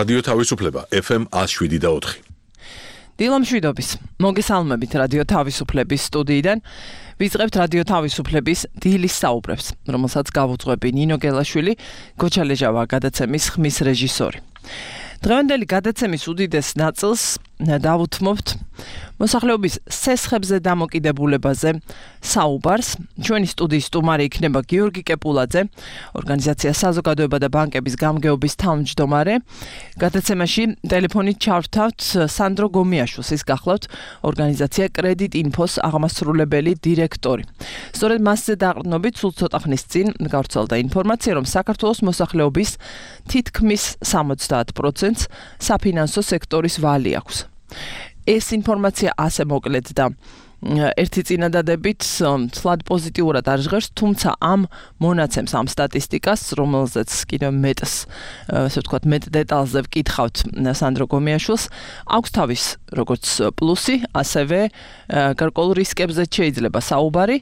რადიო თავისუფლება FM 107.4. დილამშვიდობის. მოგესალმებით რადიო თავისუფლების სტუდიიდან. ვიწყებთ რადიო თავისუფლების დილის საუბრებს, რომელსაც გავუძღვები ნინო გელაშვილი, გოჩალეჟავა გადაცემის ხმის რეჟისორი. დღევანდელი გადაცემის უდიდეს ნაწილს დავუთმობთ მოსახლეობის სესხებზე დამოკიდებულებაზე საუბარს. ჩვენი სტუდიის სტუმარი იქნება გიორგი კეპულაძე, ორგანიზაცია საზოგადოება და ბანკების გამგეობის თავმჯდომარე. გადაცემაში ტელეფონით ჩავრთავთ სანდრო გომიაშვილს, ის გახლავთ ორგანიზაცია კრედიტ ინფოს აღმასრულებელი დირექტორი. სწორედ მასზე დაყრდნობით სულ ცოტა ხნის წინ გავრცელდა ინფორმაცია, რომ საქართველოს მოსახლეობის თითქმის 70%-ს საფინანსო სექტორის ვალი აქვს. ეს ინფორმაცია ასე მოკლედ და ერთი წინადადებით ცლად პოზიტიურად არ ჟღერს, თუმცა ამ მონაცემს, ამ სტატისტიკას, რომელზეც კიდევ მეტს, ასე ვთქვათ, მეტ დეტალზე ვკითხავთ სანდრო გომიაშვილს, აქვს თავის როგორც პლუსი, ასევე გარკვეულ რისკებზე შეიძლება საუბარი.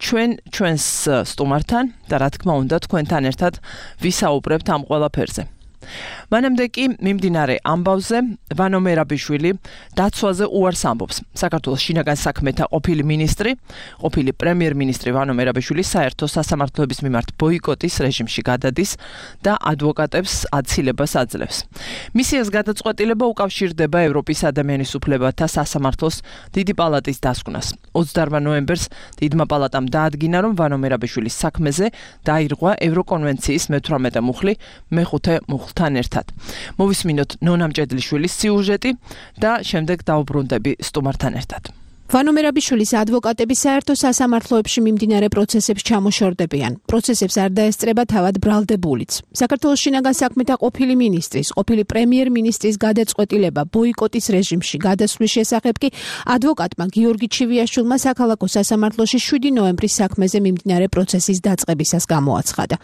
ჩვენს სტუმართან და რა თქმა უნდა თქვენთან ერთად ვისაუბრებთ ამ ყველაფერზე. მანამდე კი მიმდინარე ამბავზე ვანო მერაბიშვილი დაცვაზე უარს ამბობს. საქართველოს შინაგან საქმეთა ყოფილი მინისტრი, ყოფილი პრემიერ-მინისტრი ვანო მერაბიშვილი საერთო სასამართლოების მიმართ ბოიკოტის რეჟიმში გადადის და ადვოკატებს აცილებას აძლევს. მისიას გადაწყვეტილება უკავშირდება ევროპის ადამიანის უფლებათა სასამართლოს დიდი პალატის დასკვნას. 28 ნოემბერს დიდმა პალატამ დაადგინა, რომ ვანო მერაბიშვილის საქმეზე დაირღვა ევროკონვენციის მე-18 მუხლი მე-5 მუხლთან ერთად. მოვისმინოთ ნონა მჭედლიშვილის სიუჟეტი და შემდეგ დავუბრუნდები სტუმართან ერთად. ვანო მერაბიშვილის ადვოკატები საერთო სასამართლოებში მიმდინარე პროცესებს ჩამოშორდებიან. პროცესებს არ დაესწრება თავად ბრალდებულიც. საქართველოს შინაგან საქმეთა ყოფილი მინისტრის, ყოფილი პრემიერ-მინისტრის გადაწყვეტილება ბოიკოტის რეჟიმში გადასვლის შესახებ კი ადვოკატმა გიორგი ჩივიაშვილმა საქალაქო სასამართლოში 7 ნოემბრის საქმეზე მიმდინარე პროცესის დაწყებისას გამოაცხადა.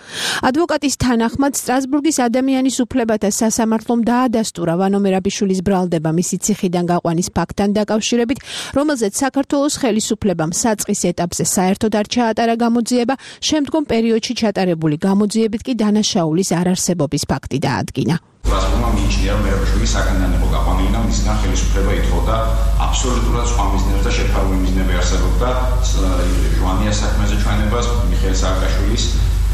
ადვოკატის თანახმად სტრასბურგის ადამიანის უფლებათა სასამართლომ დაადასტურა ვანო მერაბიშვილის ბრალდება მისი ციხიდან გაყვანის ფაქტთან დაკავშირებით, რომელზეც საქართველოს ხელისუფლებამ საწყის ეტაპზე საერთოდ არ ჩაატარა გამოძიება, შემდგომ პერიოდში ჩატარებული გამოძიებით კი დანაშაულის არარსებობის ფაქტი დაადგინა. ბრალდებმა მიიჩნია, რომ მერაბიშვილი საკანიდან იყო გაყვანილი და მისგან ხელისუფლება ითხოვდა აბსოლუტურად სხვა მიზნებს და შეფარული მიზნები არსებობდა ჟვანიას საქმეზე ჩვენებას, მიხეილ სააკაშვილის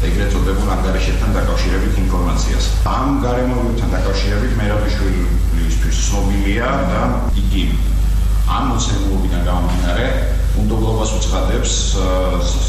ეგრეთ წოდებულ ანგარიშებთან დაკავშირებით ინფორმაციას. ამ გარემოებებთან დაკავშირებით მერაბიშვილისთვის ცნობილია და იგი ამ მოცემულობიდან გამომდინარე უნდობლობას უცხადებს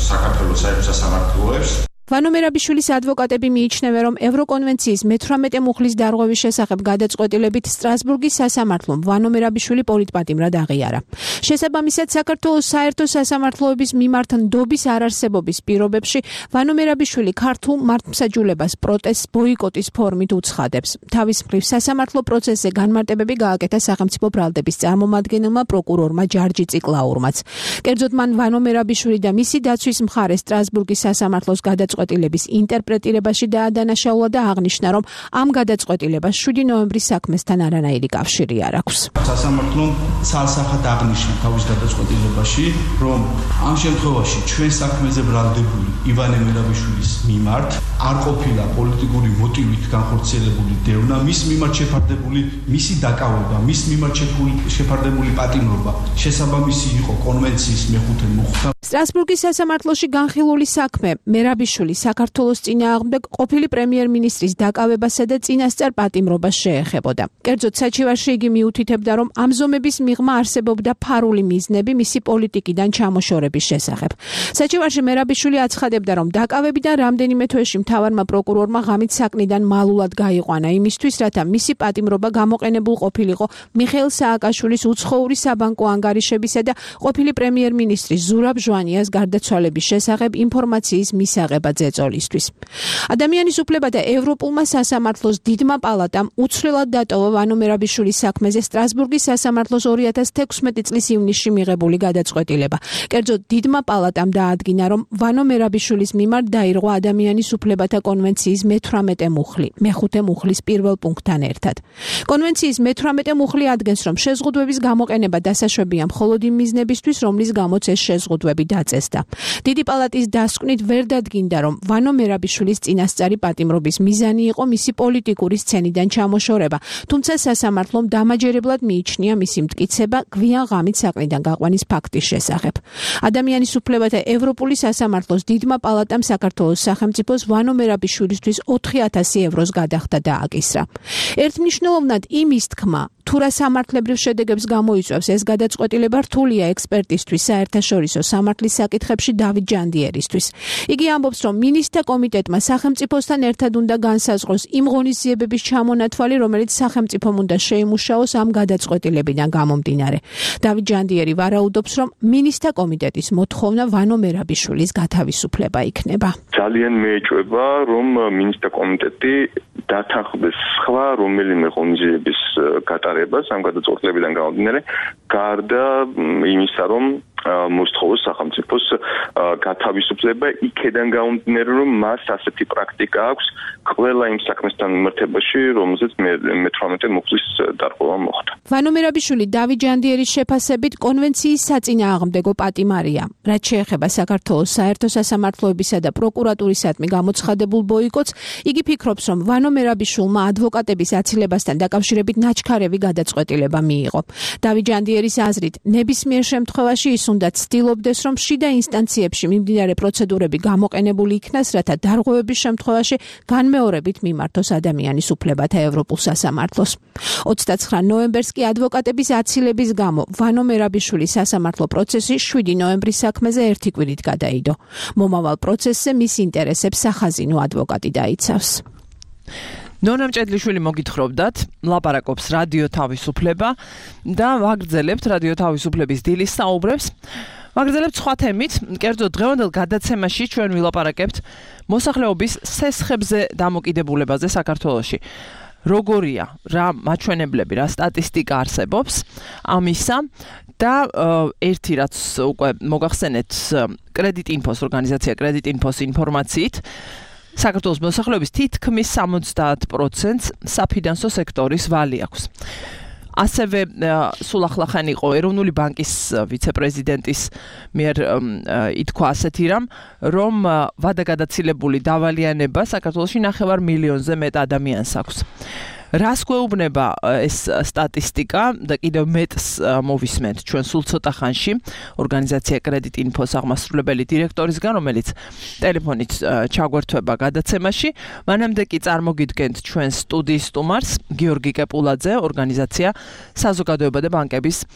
საქართველოს საერთო სასამართლოებს. ვანო მერაბიშვილის ადვოკატები მიიჩნევენ, რომ ევროკონვენციის მე-18 მუხლის დარღვევის შესახებ გადაწყვეტილებით სტრასბურგის სასამართლომ ვანო მერაბიშვილი პოლიტპატიმრად აღიარა. შესაბამისად, საქართველოს საერთო სასამართლოების მიმართ ნდობის არარსებობის პირობებში ვანო მერაბიშვილი ქართულ მართლმსაჯულებას პროტესტს ბოიკოტის ფორმით უცხადებს. თავის მხრივ სასამართლო პროცესზე განმარტებები გააკეთა სახელმწიფო ბრალდების წარმომადგენელმა პროკურორმა ჯარჯი ციკლაურმაც. კერძოდ მან ვანო მერაბიშვილი და მისი დაცვის მხარე სტრასბურგის სასამართლოს გადაწყვეტილების ინტერპრეტირებაში დაადანაშაულა და აღნიშნა, რომ ამ გადაწყვეტილებას 7 ნოემბრის საქმესთან არანაირი კავშირი არ აქვს. სასამართლომ ცალსახად აღნიშნა თავის გადაწყვეტილებაში, რომ ამ შემთხვევაში ჩვენ საქმეზე ბრალდებული ივანე მერაბიშვილის მიმართ არ ყოფილა პოლიტიკური მოტივით განხორციელებული დევნა, მის მიმართ შეფარდებული მისი დაკავება, მის მიმართ შეფარდებული პატიმრობა შესაბამისი იყო კონვენციის მე-5 მუხლთან. სტრასბურგის სასამართლოში განხილული საქმე მერაბიშვილი საქართველოს წინააღმდეგ ყოფილი პრემიერ-მინისტრის დაკავებასა და წინასწარ პატიმრობას შეეხებოდა. კერძოდ საჩივარში იგი მიუთითებდა, რომ ამ ზომების მიღმა არსებობდა ფარული მიზნები მისი პოლიტიკიდან ჩამოშორების შესახებ. საჩივარში მერაბიშვილი აცხადებდა, რომ დაკავებიდან რამდენიმე თვეში მთავარმა პროკურორმა ღამით საკნიდან მალულად გაიყვანა იმისთვის, რათა მისი პატიმრობა გამოყენებულ ყოფილიყო მიხეილ სააკაშვილის უცხოური საბანკო ანგარიშებისა და ყოფილი პრემიერ-მინისტრის ზურაბ ჟვანიას გარდაცვალების შესახებ ინფორმაციის მისაღება ძეწოლისთვის. ადამიანის უფლებათა ევროპულმა სასამართლოს დიდმა პალატამ უცვლელად დატოვა ვანო მერაბიშვილის საქმეზე სტრასბურგის სასამართლოს 2016 წლის ივნისში მიღებული გადაწყვეტილება. კერძოდ დიდმა პალატამ დაადგინა, რომ ვანო მერაბიშვილის მიმართ დაირღვა ადამიანის უფლებათა ხელისუფლებათა კონვენციის მე-18 მუხლი, მე-5 მუხლის პირველ პუნქტთან ერთად. კონვენციის მე-18 მუხლი ადგენს, რომ შეზღუდვების გამოყენება დასაშვებია მხოლოდ იმ მიზნებისთვის, რომლის გამოც ეს შეზღუდვები დაწესდა. დიდი პალატის დასკვნით ვერ დადგინდა, რომ ვანო მერაბიშვილის წინასწარი პატიმრობის მიზანი იყო მისი პოლიტიკური სცენიდან ჩამოშორება, თუმცა სასამართლომ დამაჯერებლად მიიჩნია მისი მტკიცება გვიან ღამით საყრდან გაყვანის ფაქტის შესახებ. ადამიანის უფლებათა ევროპული სასამართლოს დიდმა პალატამ საქართველოს სახელმწიფოს ვანო მერაბიშვილისთვის 4000 ევროს გადახდა დააკისრა. ერთმნიშვნელოვნად იმის თქმა, თუ რა სამართლებრივ შედეგებს გამოიწვევს ეს გადაწყვეტილება რთულია ექსპერტისთვის საერთაშორისო სამართლის საკითხებში დავით ჯანდიერისთვის. იგი ამბობს, რომ მინისტრთა კომიტეტმა სახელმწიფოსთან ერთად უნდა განსაზღვროს იმ ღონისძიებების ჩამონათვალი, რომელიც სახელმწიფომ უნდა შეიმუშაოს ამ გადაწყვეტილებიდან გამომდინარე. დავით ჯანდიერი ვარაუდობს, რომ მინისტრთა კომიტეტის მოთხოვნა ვანო მერაბიშვილის გათავისუფლება იქნება. ძალიან მეეჭვება, რომ მინისტრთა კომიტეტი დათანხმდეს სხვა რომელიმე ღონისძიების გატარებას ამ გადაწყვეტილებიდან გამომდინარე, გარდა იმისა, რომ მოსთხოვოს სახელმწიფოს გათავისუფლება იქედან გამომდინარე, რომ მას ასეთი პრაქტიკა აქვს ყველა იმ საქმესთან მიმართებაში, რომელზეც მე-18 მუხლის დარღვევა მოხდა. ვანო მერაბიშვილი დავით ჯანდიერის შეფასებით კონვენციის საწინააღმდეგო პატიმარია. რაც შეეხება საქართველოს საერთო სასამართლოებისა და პროკურატურისადმი გამოცხადებულ ბოიკოტს, იგი ფიქრობს, რომ ვანო მერაბიშვილმა ადვოკატების აცილებასთან დაკავშირებით ნაჩქარევი გადაწყვეტილება მიიღო. დავით ჯანდიერის აზრით, ნებისმიერ შემთხვევაში ის უნდა ცდილობდეს, რომ შიდა ინსტანციებში მიმდინარე პროცედურები გამოყენებული იქნას, რათა დარღვევების შემთხვევაში განმეორებით მიმართოს ადამიანის უფლებათა ევროპულ სასამართლოს. 29 ნოემბერს კი ადვოკატების აცილების გამო ვანო მერაბიშვილის სასამართლო პროცესი 7 ნოემბრის საქმეზე ერთი კვირით გადაიდო. მომავალ პროცესზე მის ინტერესებს სახაზინო ადვოკატი დაიცავს. ნონა მჭედლიშვილი მოგითხრობდათ, ლაპარაკობს რადიო თავისუფლება და ვაგრძელებთ რადიო თავისუფლების დილის საუბრებს. ვაგრძელებთ სხვა თემით, კერძოდ დღევანდელ გადაცემაში ჩვენ ვილაპარაკებთ მოსახლეობის სესხებზე დამოკიდებულებაზე საქართველოში. როგორია, რა მაჩვენებლები, რა სტატისტიკა არსებობს ამისა და ერთი რაც უკვე მოგახსენეთ კრედიტინფოს ორგანიზაცია კრედიტინფოს ინფორმაციით საქართველოს მოსახლეობის თითქმის 70%-ს საფინანსო სექტორის ვალი აქვს. ასევე სულ ახლახან იყო ეროვნული ბანკის ვიცე-პრეზიდენტის მიერ ითქვა ასეთი რამ, რომ ვადაგადაცილებული დავალიანება საქართველოში 9 მილიონზე მეტ ადამიანს აქვს. რას გვეუბნება ეს სტატისტიკა და კიდევ მეტს მოვისმენთ ჩვენ სულ ცოტა ხანში ორგანიზაცია კრედიტინფოს აღმასრულებელი დირექტორისგან, რომელიც ტელეფონით ჩაგვერთვება გადაცემაში. მანამდე კი წარმოგიდგენთ ჩვენ სტუდიის სტუმარს გიორგი კეპულაძე, ორგანიზაცია საზოგადოება და ბანკების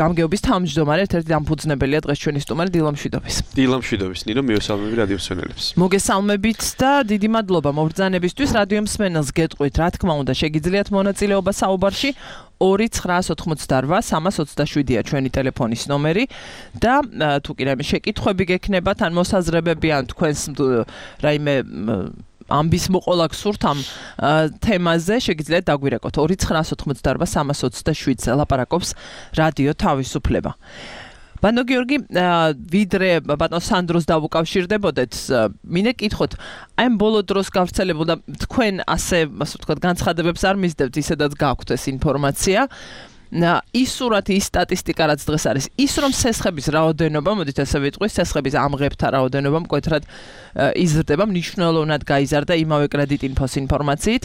გამგეობის თავმჯდომარე, ერთ-ერთი დამფუძნებელია დღეს ჩვენი სტუმარი დილამშვიდობის. დილამშვიდობის, ნინო, მიესალმები რადიო მსმენელებს. მოგესალმებით და დიდი მადლობა მობრძანებისთვის. რადიო მსმენელს გეტყვით, რა თქმა უნდა, შეგიძლიათ მონაწილეობა საუბარში 2-988-327-ია ჩვენი ტელეფონის ნომერი და თუ კი რაიმე შეკითხვები გექნებათ ან მოსაზრებები ან თქვენს რაიმე ამბის მოყოლა გსურთ ამ თემაზე, შეგიძლიათ დაგვირეკოთ 2-988-327-ზე ლაპარაკობს რადიო თავისუფლება. ბანო გიორგი, ვიდრე ბატონ სანდროს დავუკავშირდებოდეთ, მინდა კითხოთ, აი ამ ბოლო დროს გავრცელებულ და თქვენ ასე ვთქვათ განცხადებებს არ მისდევთ, ისედაც გაქვთ ეს ინფორმაცია. ის სურათი, ის სტატისტიკა რაც დღეს არის, ის რომ სესხების რაოდენობა, მოდით ასე ვიტყვი, სესხების ამღებთა რაოდენობა მკვეთრად იზრდება, მნიშვნელოვნად გაიზარდა იმავე კრედიტინფოს ინფორმაციით.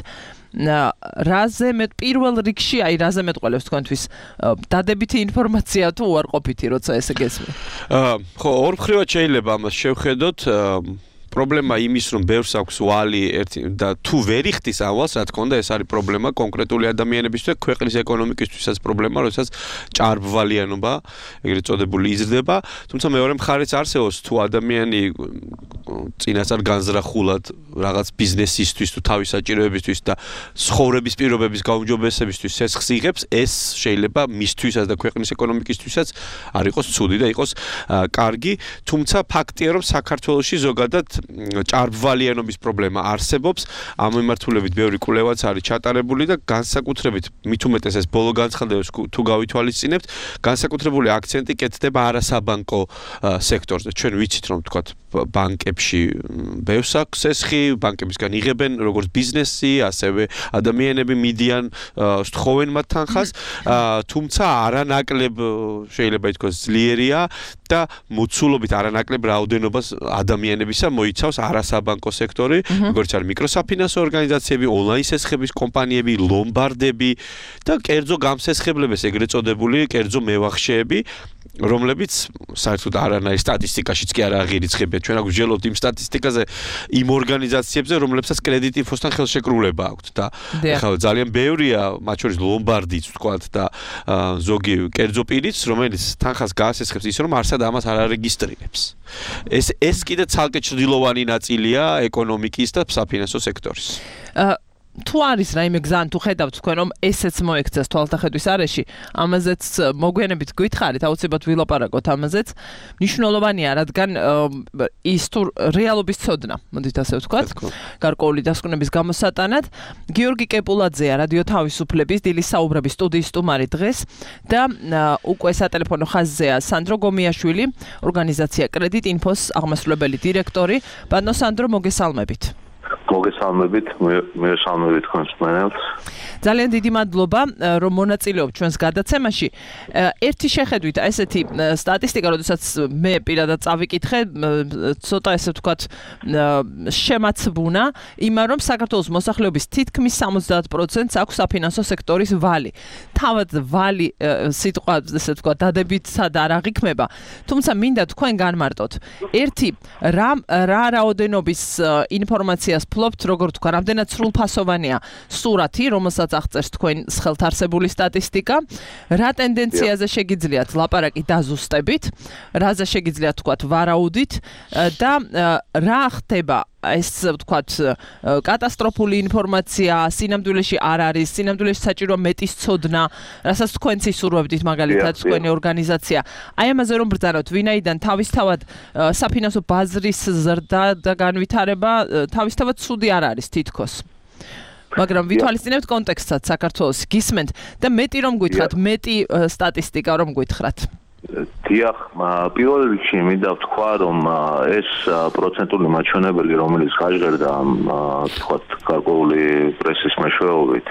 რაზე მეტ პირველ რიგში, აი რაზე მეტყველებს თქვენთვის დადებითი ინფორმაცია თუ უარყოფითი, როცა ესე გესმით? ხო, ორ მხრივად შეიძლება ამას შევხედოთ. პრობლემა იმის, რომ ბევრს აქვს ვალი და თუ ვერ იხდის ავალს, რა თქმა უნდა, ეს არის პრობლემა კონკრეტული ადამიანებისთვის, ქვეყნის ეკონომიკისთვისაც პრობლემა, როდესაც ჭარბვალიანობა, ეგრეთ წოდებული იზრდება, თუმცა მეორე მხარეც არსებობს, თუ ადამიანი წინასწარ განზრახულად რაღაც ბიზნესისთვის თუ თავის საჭიროებისთვის და ცხოვრების პირობების გაუმჯობესებისთვის სესხს იღებს, ეს შეიძლება მისთვისაც და ქვეყნის ეკონომიკისთვისაც არ იყოს ცუდი და იყოს კარგი, თუმცა ფაქტია, რომ საქართველოში ზოგადად ჭარბვალიანობის პრობლემა არსებობს, ამ მიმართულებით ბევრი კვლევაც არის ჩატარებული და განსაკუთრებით მით უმეტეს ეს ბოლო განცხადებებს თუ გავითვალისწინებთ, განსაკუთრებული აქცენტი კეთდება არასაბანკო სექტორზე. ჩვენ ვიცით, რომ თქვათ ბანკებში ბევრს აქვს სესხი, ბანკებისგან იღებენ როგორც ბიზნესი, ასევე ადამიანები მიდიან სთხოვენ მათ თანხას, თუმცა არანაკლებ შეიძლება ითქვას ძლიერია და მოცულობით არანაკლებ რაოდენობას ადამიანებისა მოიცავს არასაბანკო სექტორი, როგორც არის მიკროსაფინანსო ორგანიზაციები, ონლაინ სესხების კომპანიები, ლომბარდები და კერძო გამსესხებლების ეგრეთ წოდებული კერძო მევახშეები, რომლებიც საერთოდ არანაირ სტატისტიკაშიც კი არ აღირიცხებია. ჩვენ აგვიჟელოთ იმ სტატისტიკაზე იმ ორგანიზაციებზე, რომლებსაც კრედიტ ინფოსთან ხელშეკრულება აქვთ და ახლა ძალიან ბევრია, მათ შორის ლომბარდიც ვთქვათ და ზოგი კერძო პირიც, რომელიც თანხას გაასესხებს ისე რომ არსად ამას არ არეგისტრირებს. ეს კიდე ცალკე ჩრდილოვანი ნაწილია ეკონომიკის და საფინანსო სექტორის. თუ არის რაიმე გზა, თუ ხედავთ თქვენ რომ ესეც მოექცეს თვალთახედვის არეში, ამაზეც მოგვიანებით გითხარით, აუცილებლად ვილაპარაკოთ ამაზეც. მნიშვნელოვანია, რადგან ის თუ რეალობის ცოდნა, მოდით ასე ვთქვათ, გარკვეული დასკვნების გამოსატანად. გიორგი კეპულაძეა რადიო თავისუფლების დილის საუბრების სტუდიის სტუმარი დღეს და უკვე სატელეფონო ხაზზეა სანდრო გომიაშვილი, ორგანიზაცია კრედიტ ინფოს აღმასრულებელი დირექტორი. ბატონო სანდრო, მოგესალმებით. მოგესალმებით, მესალმებით თქვენს მენელს. ძალიან დიდი მადლობა, რომ მონაწილეობთ ჩვენს გადაცემაში. ერთი შეხედვით, ესეთი სტატისტიკა, როდესაც მე პირადად წავიკითხე, ცოტა ესე ვთქვათ, შემაცბუნა, იმან რომ საქართველოს მოსახლეობის თითქმის 70%-ს აქვს საფინანსო სექტორის ვალი. თავად ვალი სიტყვა, ესე ვთქვათ, დადებითად არ აღიქმება, თუმცა მინდა თქვენ განმარტოთ. ერთი, რა რაოდენობის ინფორმაციას ფლობთ, როგორ თქვა, რამდენად სრულფასოვანია სურათი, რომელსაც აღწერს თქვენ ხელთ არსებული სტატისტიკა, რა ტენდენციაზე შეგიძლიათ ლაპარაკი დაზუსტებით, რაზე შეგიძლიათ თქვათ ვარაუდით და რა ხდება ეს ვთქვათ კატასტროფული ინფორმაცია სინამდვილეში არ არის, სინამდვილეში საჭირო მეტის ცოდნა, რასაც თქვენც ისურვებდით მაგალითად თქვენი ორგანიზაცია. აი ამაზე რომ ბრძანოთ, ვინაიდან თავისთავად საფინანსო ბაზრის ზრდა და განვითარება თავისთავად ცუდი არ არის თითქოს. მაგრამ ვითვალისწინებთ კონტექსტსაც საქართველოს გისმენთ და მეტი რომ გითხრათ, მეტი სტატისტიკა რომ გითხრათ. დიახ, პირველ რიგში მინდა ვთქვა, რომ ეს პროცენტული მაჩვენებელი, რომელიც გაჟღერდა, ვთქვათ, გარკვეული პრესის მეშვეობით,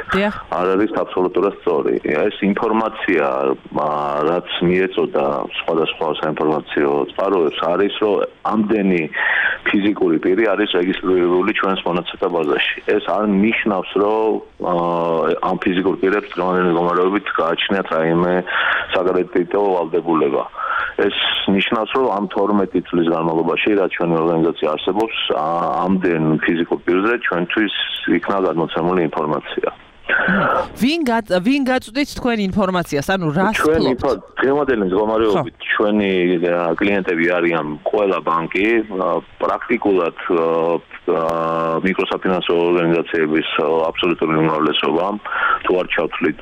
არ არის აბსოლუტურად სწორი. ეს ინფორმაცია, რაც მიეწოდა სხვადასხვა საინფორმაციო წყაროებს, არის, რომ ამდენი ფიზიკური პირი არის რეგისტრირებული ჩვენს მონაცემთა ბაზაში. ეს არ ნიშნავს, რომ ამ ფიზიკურ პირებს დღევანდელი მდგომარეობით გააჩნიათ რაიმე საკრედიტო ვალდებულება. ეს ნიშნავს, რომ ამ 12 წლის განმავლობაში, რაც ჩვენი ორგანიზაცია არსებობს, ამდენ ფიზიკურ პირზე ჩვენთვის იქნა გადმოცემული ინფორმაცია. ვინ გაწვდით თქვენ ინფორმაციას, ანუ რას ფლობთ? დღევანდელი მდგომარეობით ჩვენი კლიენტები არიან ყველა ბანკი, პრაქტიკულად მიკროსაფინანსო ორგანიზაციების აბსოლუტური უმრავლესობა, თუ არ ჩავთვლით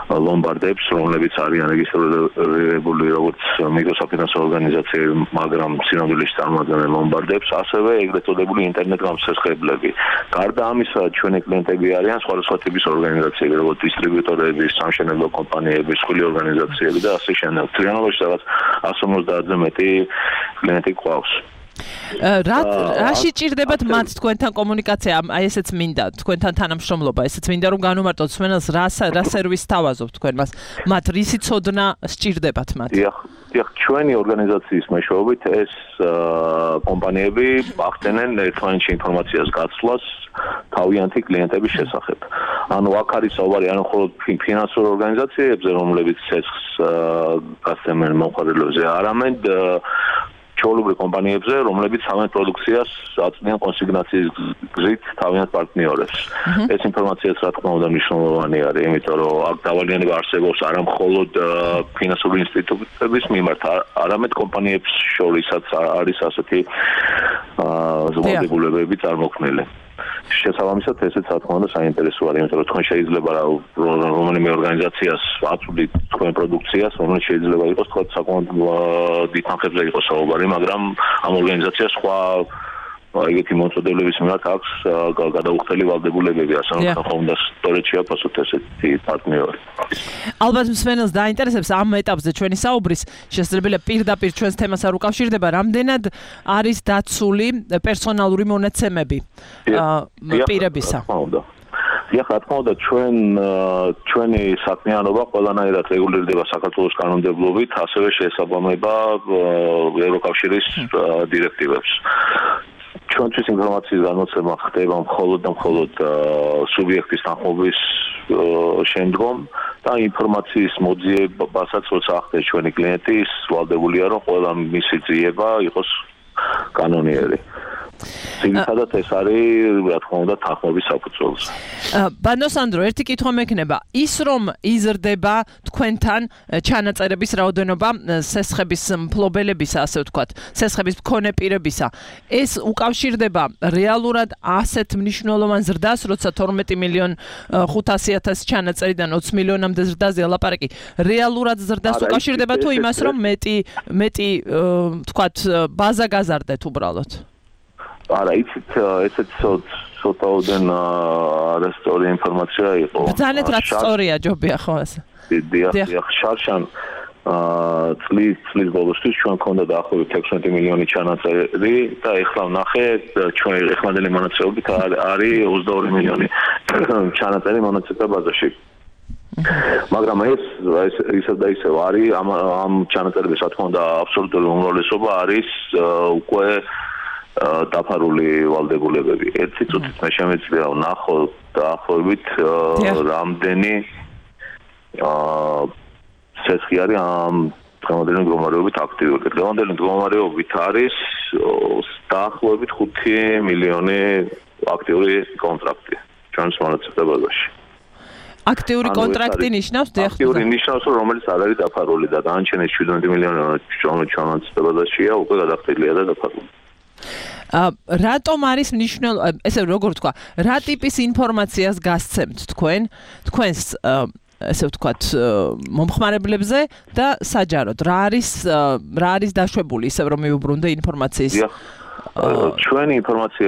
ლომბარდებს, რომლებიც არიან რეგისტრირებული როგორც მიკროსაფინანსო ორგანიზაციები, მაგრამ სინამდვილეში წარმოადგენენ ლომბარდებს, ასევე ეგრეთ წოდებული ინტერნეტ გამსესხებლები. გარდა ამისა, ჩვენი კლიენტები არიან სხვადასხვა ტიპის ორგანიზაციები, როგორც დისტრიბიუტორები, სამშენებლო კომპანიები, სხვილი ორგანიზაციები და ასე შემდეგ. თლიანობაში რაღაც 150-ზე მეტი კლიენტი გვყავს. რაში ჭირდებათ მათ თქვენთან კომუნიკაცია? აი ესეც მინდა, თქვენთან თანამშრომლობა, ესეც მინდა რომ განუმარტოთ მსმენელს, რა სერვისს თავაზობთ თქვენ მას? მათ რისი ცოდნა სჭირდებათ მათ? დიახ, ჩვენი ორგანიზაციის მეშვეობით ეს კომპანიები ახდენენ ერთმანეთში ინფორმაციას გაცვლას თავიანთი კლიენტების შესახებ. ანუ აქ არის საუბარი არა მხოლოდ ფინანსურ ორგანიზაციებზე, რომლებიც ცეცხლს გასცემენ მომხმარებლებზე, არამედ ჩვეულებრივ კომპანიებზე, რომლებიც სამეთ პროდუქციას აწვდიან კონსიგნაციის გზით თავიანთ პარტნიორებს. ეს ინფორმაციაც რა თქმა უნდა მნიშვნელოვანი არის, იმიტომ რომ აქ დავალიანება არსებობს არა მხოლოდ ფინანსური ინსტიტუტების მიმართ, არამედ კომპანიებს შორისაც არის ასეთი ვალდებულებები წარმოქმნილი. შესაბამისად ესეც რა თქმა უნდა საინტერესო არის, იმიტომ რომ თქვენ შეიძლება რომელიმე ორგანიზაციას აწვდით თქვენ პროდუქციას, რომელიც შეიძლება იყოს თქვა საკმაოდ დიდ თანხებზე იყოს საუბარი, მაგრამ ამ ორგანიზაციას სხვა ეგეთი მოწოდებების მიმართ აქვს გადაუხდელი ვალდებულებები, ასე რომ ხომ და სწორედ შეაფასოთ ესეთი პარტნიორი. ალბათ მსმენელს დაინტერესებს ამ ეტაპზე ჩვენი საუბრის, შესაძლებელია პირდაპირ ჩვენს თემას არ უკავშირდება, რამდენად არის დაცული პერსონალური მონაცემები პირებისა. რა თქმა უნდა, ჩვენი საქმიანობა ყველანაირად რეგულირდება საქართველოს კანონმდებლობით, ასევე შეესაბამება ევროკავშირის დირექტივებს. ჩვენთვის ინფორმაციის განმოცემა ხდება მხოლოდ და მხოლოდ სუბიექტის თანხმობის შემდგომ და ინფორმაციის მოძიებასაც როცა ახდენს ჩვენი klienti, ის ვალდებულია რომ ყველა მისი ძიება იყოს კანონიერი. ძირითადად ეს არის რა თქმა უნდა თანხმობის საფუძველზე. ბანო სანდრო, ერთი კითხვა მექნება, ის რომ იზრდება თქვენთან ჩანაწერების რაოდენობა სესხების მფლობელებისა, ასე ვთქვათ, სესხების მქონე პირებისა, ეს უკავშირდება რეალურად ასეთ მნიშვნელოვან ზრდას, როცა 12,500,000 ჩანაწერიდან 20 მილიონამდე ზრდაზე ლაპარაკი, რეალურად ზრდას უკავშირდება თუ იმას, რომ მეტი ვთქვათ, ბაზა გაზარდეთ უბრალოდ? არა, იცით, ესეც ცოტაოდენ არასწორი ინფორმაცია იყო. ბრძანეთ რაც სწორია, ჯობია ხო ასე. დიახ, შარშან წლის ბოლოსთვის ჩვენ ქონდა დაახლოებით 16 მილიონი ჩანაწერი და ეხლა ვნახე ჩვენ ეხლანდელი მონაცემებით არის 22 მილიონი ჩანაწერი მონაცემთა ბაზაში. მაგრამ ეს ისევ და ისევ არის ამ ჩანაწერების რა თქმა უნდა აბსოლუტური უმრავლესობა არის უკვე დაფარული ვალდებულებები. ერთი წუთით მე შემეძლია ვნახოთ დაახლოებით რამდენი სესხი არის ამ დღევანდელი მდგომარეობით აქტიური. დღევანდელი მდგომარეობით არის დაახლოებით 5 მილიონი აქტიური კონტრაქტი ჩვენს მონაცემთა ბაზაში. აქტიური კონტრაქტი ნიშნავს აქტიური ნიშნავს რომელიც არ არის დაფარული და დანარჩენი 17 მილიონი ჩვენს მონაცემთა ბაზაშია უკვე გადახდილია და დაფარული. რატომ არის მნიშვნელოვანი, ესე როგორ ვთქვა, რა ტიპის ინფორმაციას გასცემთ თქვენს ესე ვთქვათ მომხმარებლებზე და საჯაროდ რა არის დაშვებული ისე რომ მიუბრუნდე ინფორმაციის ჩვენი ინფორმაცია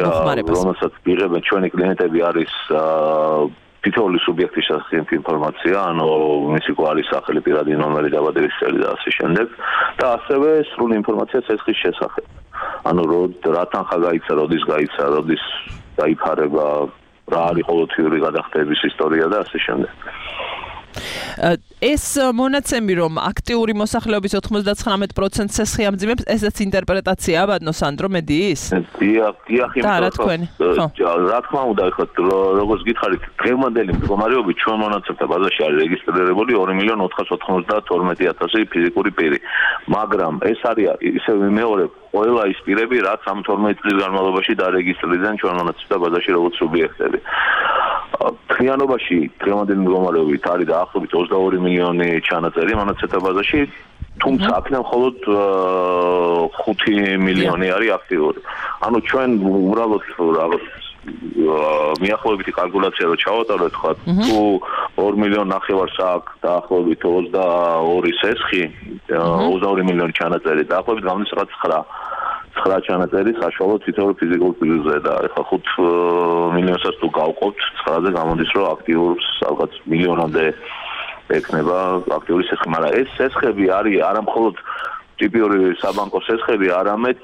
რომელსაც ვიღებენ ჩვენი კლიენტები არის თითოეული სუბიექტის შესახებ ინფორმაცია, ანუ მისი გვარი, სახელი, პირადი ნომერი, დაბადების წელი და ასე შემდეგ და ასევე სრული ინფორმაცია სესხის შესახებ. ანუ რა თანხა გაიცა, როდის გაიცა, როდის დაიფარება, რა არის ყოველთვიური გადახდების ისტორია და ასე შემდეგ. ეს მონაცემი რომ აქტიური მოსახლეობის 99% სესხი ამძიმებს, ესეც ინტერპრეტაციაა ბატონო სანდრო მედიის? დიახ, რა თქმა უნდა, ეხლა როგორც გითხარით, დღევანდელი მდგომარეობით ჩვენ მონაცემთა ბაზაში არის რეგისტრირებული 2,492,000 ფიზიკური პირი. მაგრამ ეს არის ისევ მეორე ყველა ის პირები, რაც ამ 12 წლის განმავლობაში დარეგისტრირდნენ ჩვენ მონაცემთა ბაზაში როგორც სუბიექტები. თლიანობაში დღევანდელი მდგომარეობით არის დაახლოებით 22 მილიონი ჩანაწერი მონაცემთა ბაზაში, თუმცა აქედან მხოლოდ 5 მილიონი არის აქტიური. ანუ ჩვენ უბრალოდ რაღაც მიახლოებითი კალკულაცია რო ჩავატაროთ, ხო, თუ 2 მილიონი ნახევარს აქვს დაახლოებით 22 სესხი, 22 მილიონი ჩანაწერი, დაახლოებით გამდის რაღაც 9 ჩანაწერი საშუალო თითოეულ ფიზიკურ პირზე და ეხლა 5 მილიონსაც თუ გავყობთ 9-ზე გამოდის რომ აქტიურს ალბათ მილიონამდე ექნება აქტიური სესხი, მაგრამ ეს სესხები არის არა მხოლოდ ტიპიური საბანკო სესხები, არამედ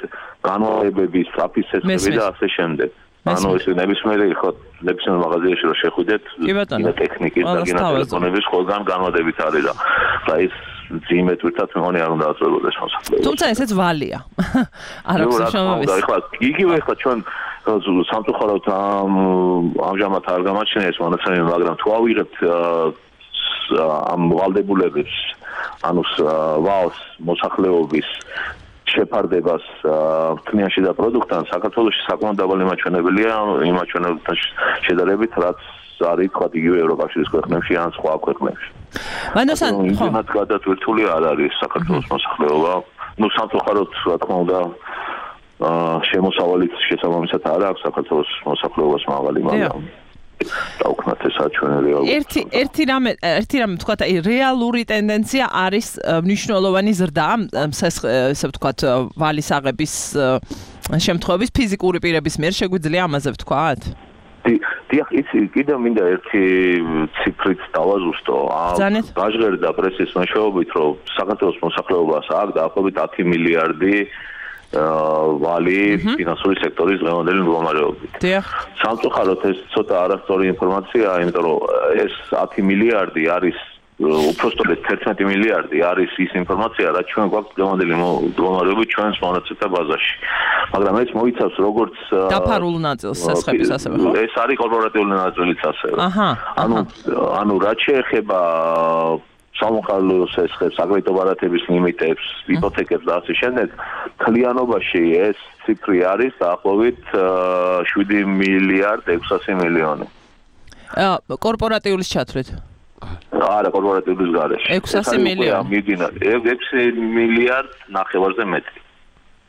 განმავლობების საფის სესხები და ასე შემდეგ. ანუ ეს ნებისმიერი ხო ნებისმიერ მაღაზიაში რომ შეხვიდეთ ტექნიკის და გენატელეფონების ყველგან განმავლობით არის და ეს ძიმეთურთან მეგონი არ უნდა აწვებოდეს მოსახლეობა. თუმცა ესეც ვალია. არ აქვს შემოვიდეს. ეხლა იგივე ეხლა ჩვენ სამწუხაროდ ამჟამად არ გამაჩნია ეს მონაცემები, მაგრამ თუ ავიღებთ ამ ვალდებულების, ანუ ვაოს მოსახლეობის შეფარდებას თნიაში და პროდუქტთან საქართველოში საკმაოდ დაბალი მაჩვენებელია იმ მაჩვენებელთან შედარებით, რაც არის თქვა იგივე ევროკავშირის ქვეყნებში ან სხვა ქვეყნებში. მანასან ხო იმათ გადატვირთული არ არის საქართველოს მოსახლეობა. ნუ სამწუხაროდ რა თქმა უნდა შემოსავალიც შესაბამისად არ აქვს საქართველოს მოსახლეობას მაღალი, მაგრამ დაუქმნათ ეს აჩვენებელი ერთი რამე ვთქვათ, აი რეალური ტენდენცია არის მნიშვნელოვანი ზრდა, ესე ვთქვათ, ვალის აღების შემთხვევების ფიზიკური პირების მიერ შეგვიძლია ამაზე ვთქვათ? დიახ, იცი, კიდევ მინდა ერთი ციფრით დავაზუსტო. გაჟღერდა პრესის მეშვეობით, რომ საქართველოს მოსახლეობას აქვს დაახლოებით 10 მილიარდი ვალი ფინანსური სექტორის დღევანდელი მდგომარეობით. სამწუხაროდ ეს ცოტა არასწორი ინფორმაციაა, იმიტომ რომ ეს 10 მილიარდი არის უпростოდ 11 მილიარდი არის ის ინფორმაცია, რაც ჩვენ გვაქვს დღევანდელი მდგომარეობით ჩვენს მონაცემთა ბაზაში. მაგრამ ეს მოიცავს როგორც დაფარულ ნაწილს სასხების ასევე, ხო? ეს არის კორპორატიული ნაწილიც ასევე. ანუ რაც შეეხება სამოხალხო სესხებს, აგრეთვე ბარათების ლიმიტებს, იპოთეკებს და ასე შემდეგ, თლიანობაში ეს ციფრი არის დაახლოებით 7 მილიარდ 600 მილიონი. კორპორატიულის ჩათვლით. არა, კორპორატიულის გარეშე. 600 მილიონი. 6 მილიარდ ნახევარზე მეტი.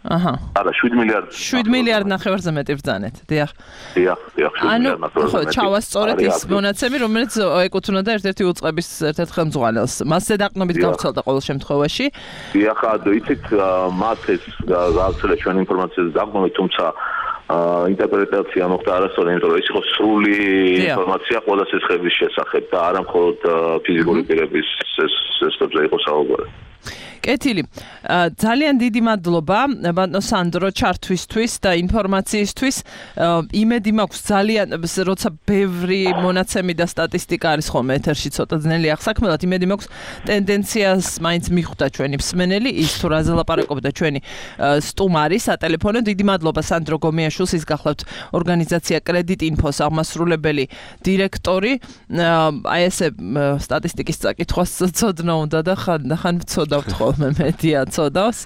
არა, 7 მილიარდ. 7 მილიარდ ნახევარზე მეტი ბრძანეთ. დიახ. დიახ, 7 მილიარდ ნახევარზე მეტი. ხო, ჩავასწორეთ ის მონაცემი, რომელიც ეკუთვნოდა ერთ-ერთი უწყების ერთ-ერთ ხელმძღვანელს. მასზე დაყრდნობით გავრცელდა ყოველ შემთხვევაში. დიახ, იცით, მათ ეს გავრცელა ჩვენ ინფორმაციაზე დაყრდნობით, თუმცა ინტერპრეტაცია მოხდა არასწორი, იმიტომ რომ ეს იყო სრული ინფორმაცია ყველა სესხების შესახებ და არა მხოლოდ ფიზიკური პირების სესხებზე იყო საუბარი. კეთილი. ძალიან დიდი მადლობა ბატონო სანდრო ჩართვისთვის და ინფორმაციისთვის. იმედი მაქვს ძალიან, როცა ბევრი მონაცემი და სტატისტიკა არის ხოლმე ეთერში ცოტა ძნელი აღსაქმელად, იმედი მაქვს ტენდენციას მაინც მიხვდა ჩვენი მსმენელი, ის თუ რაზე ლაპარაკობდა ჩვენი სტუმარი სატელეფონო. დიდი მადლობა სანდრო გომიაშვილს, ის გახლავთ ორგანიზაცია კრედიტ ინფოს აღმასრულებელი დირექტორი. აი ესე სტატისტიკის წაკითხვას ცოდნა უნდა და ხან ვცოდავთ ხოლმე მედია ცოდავს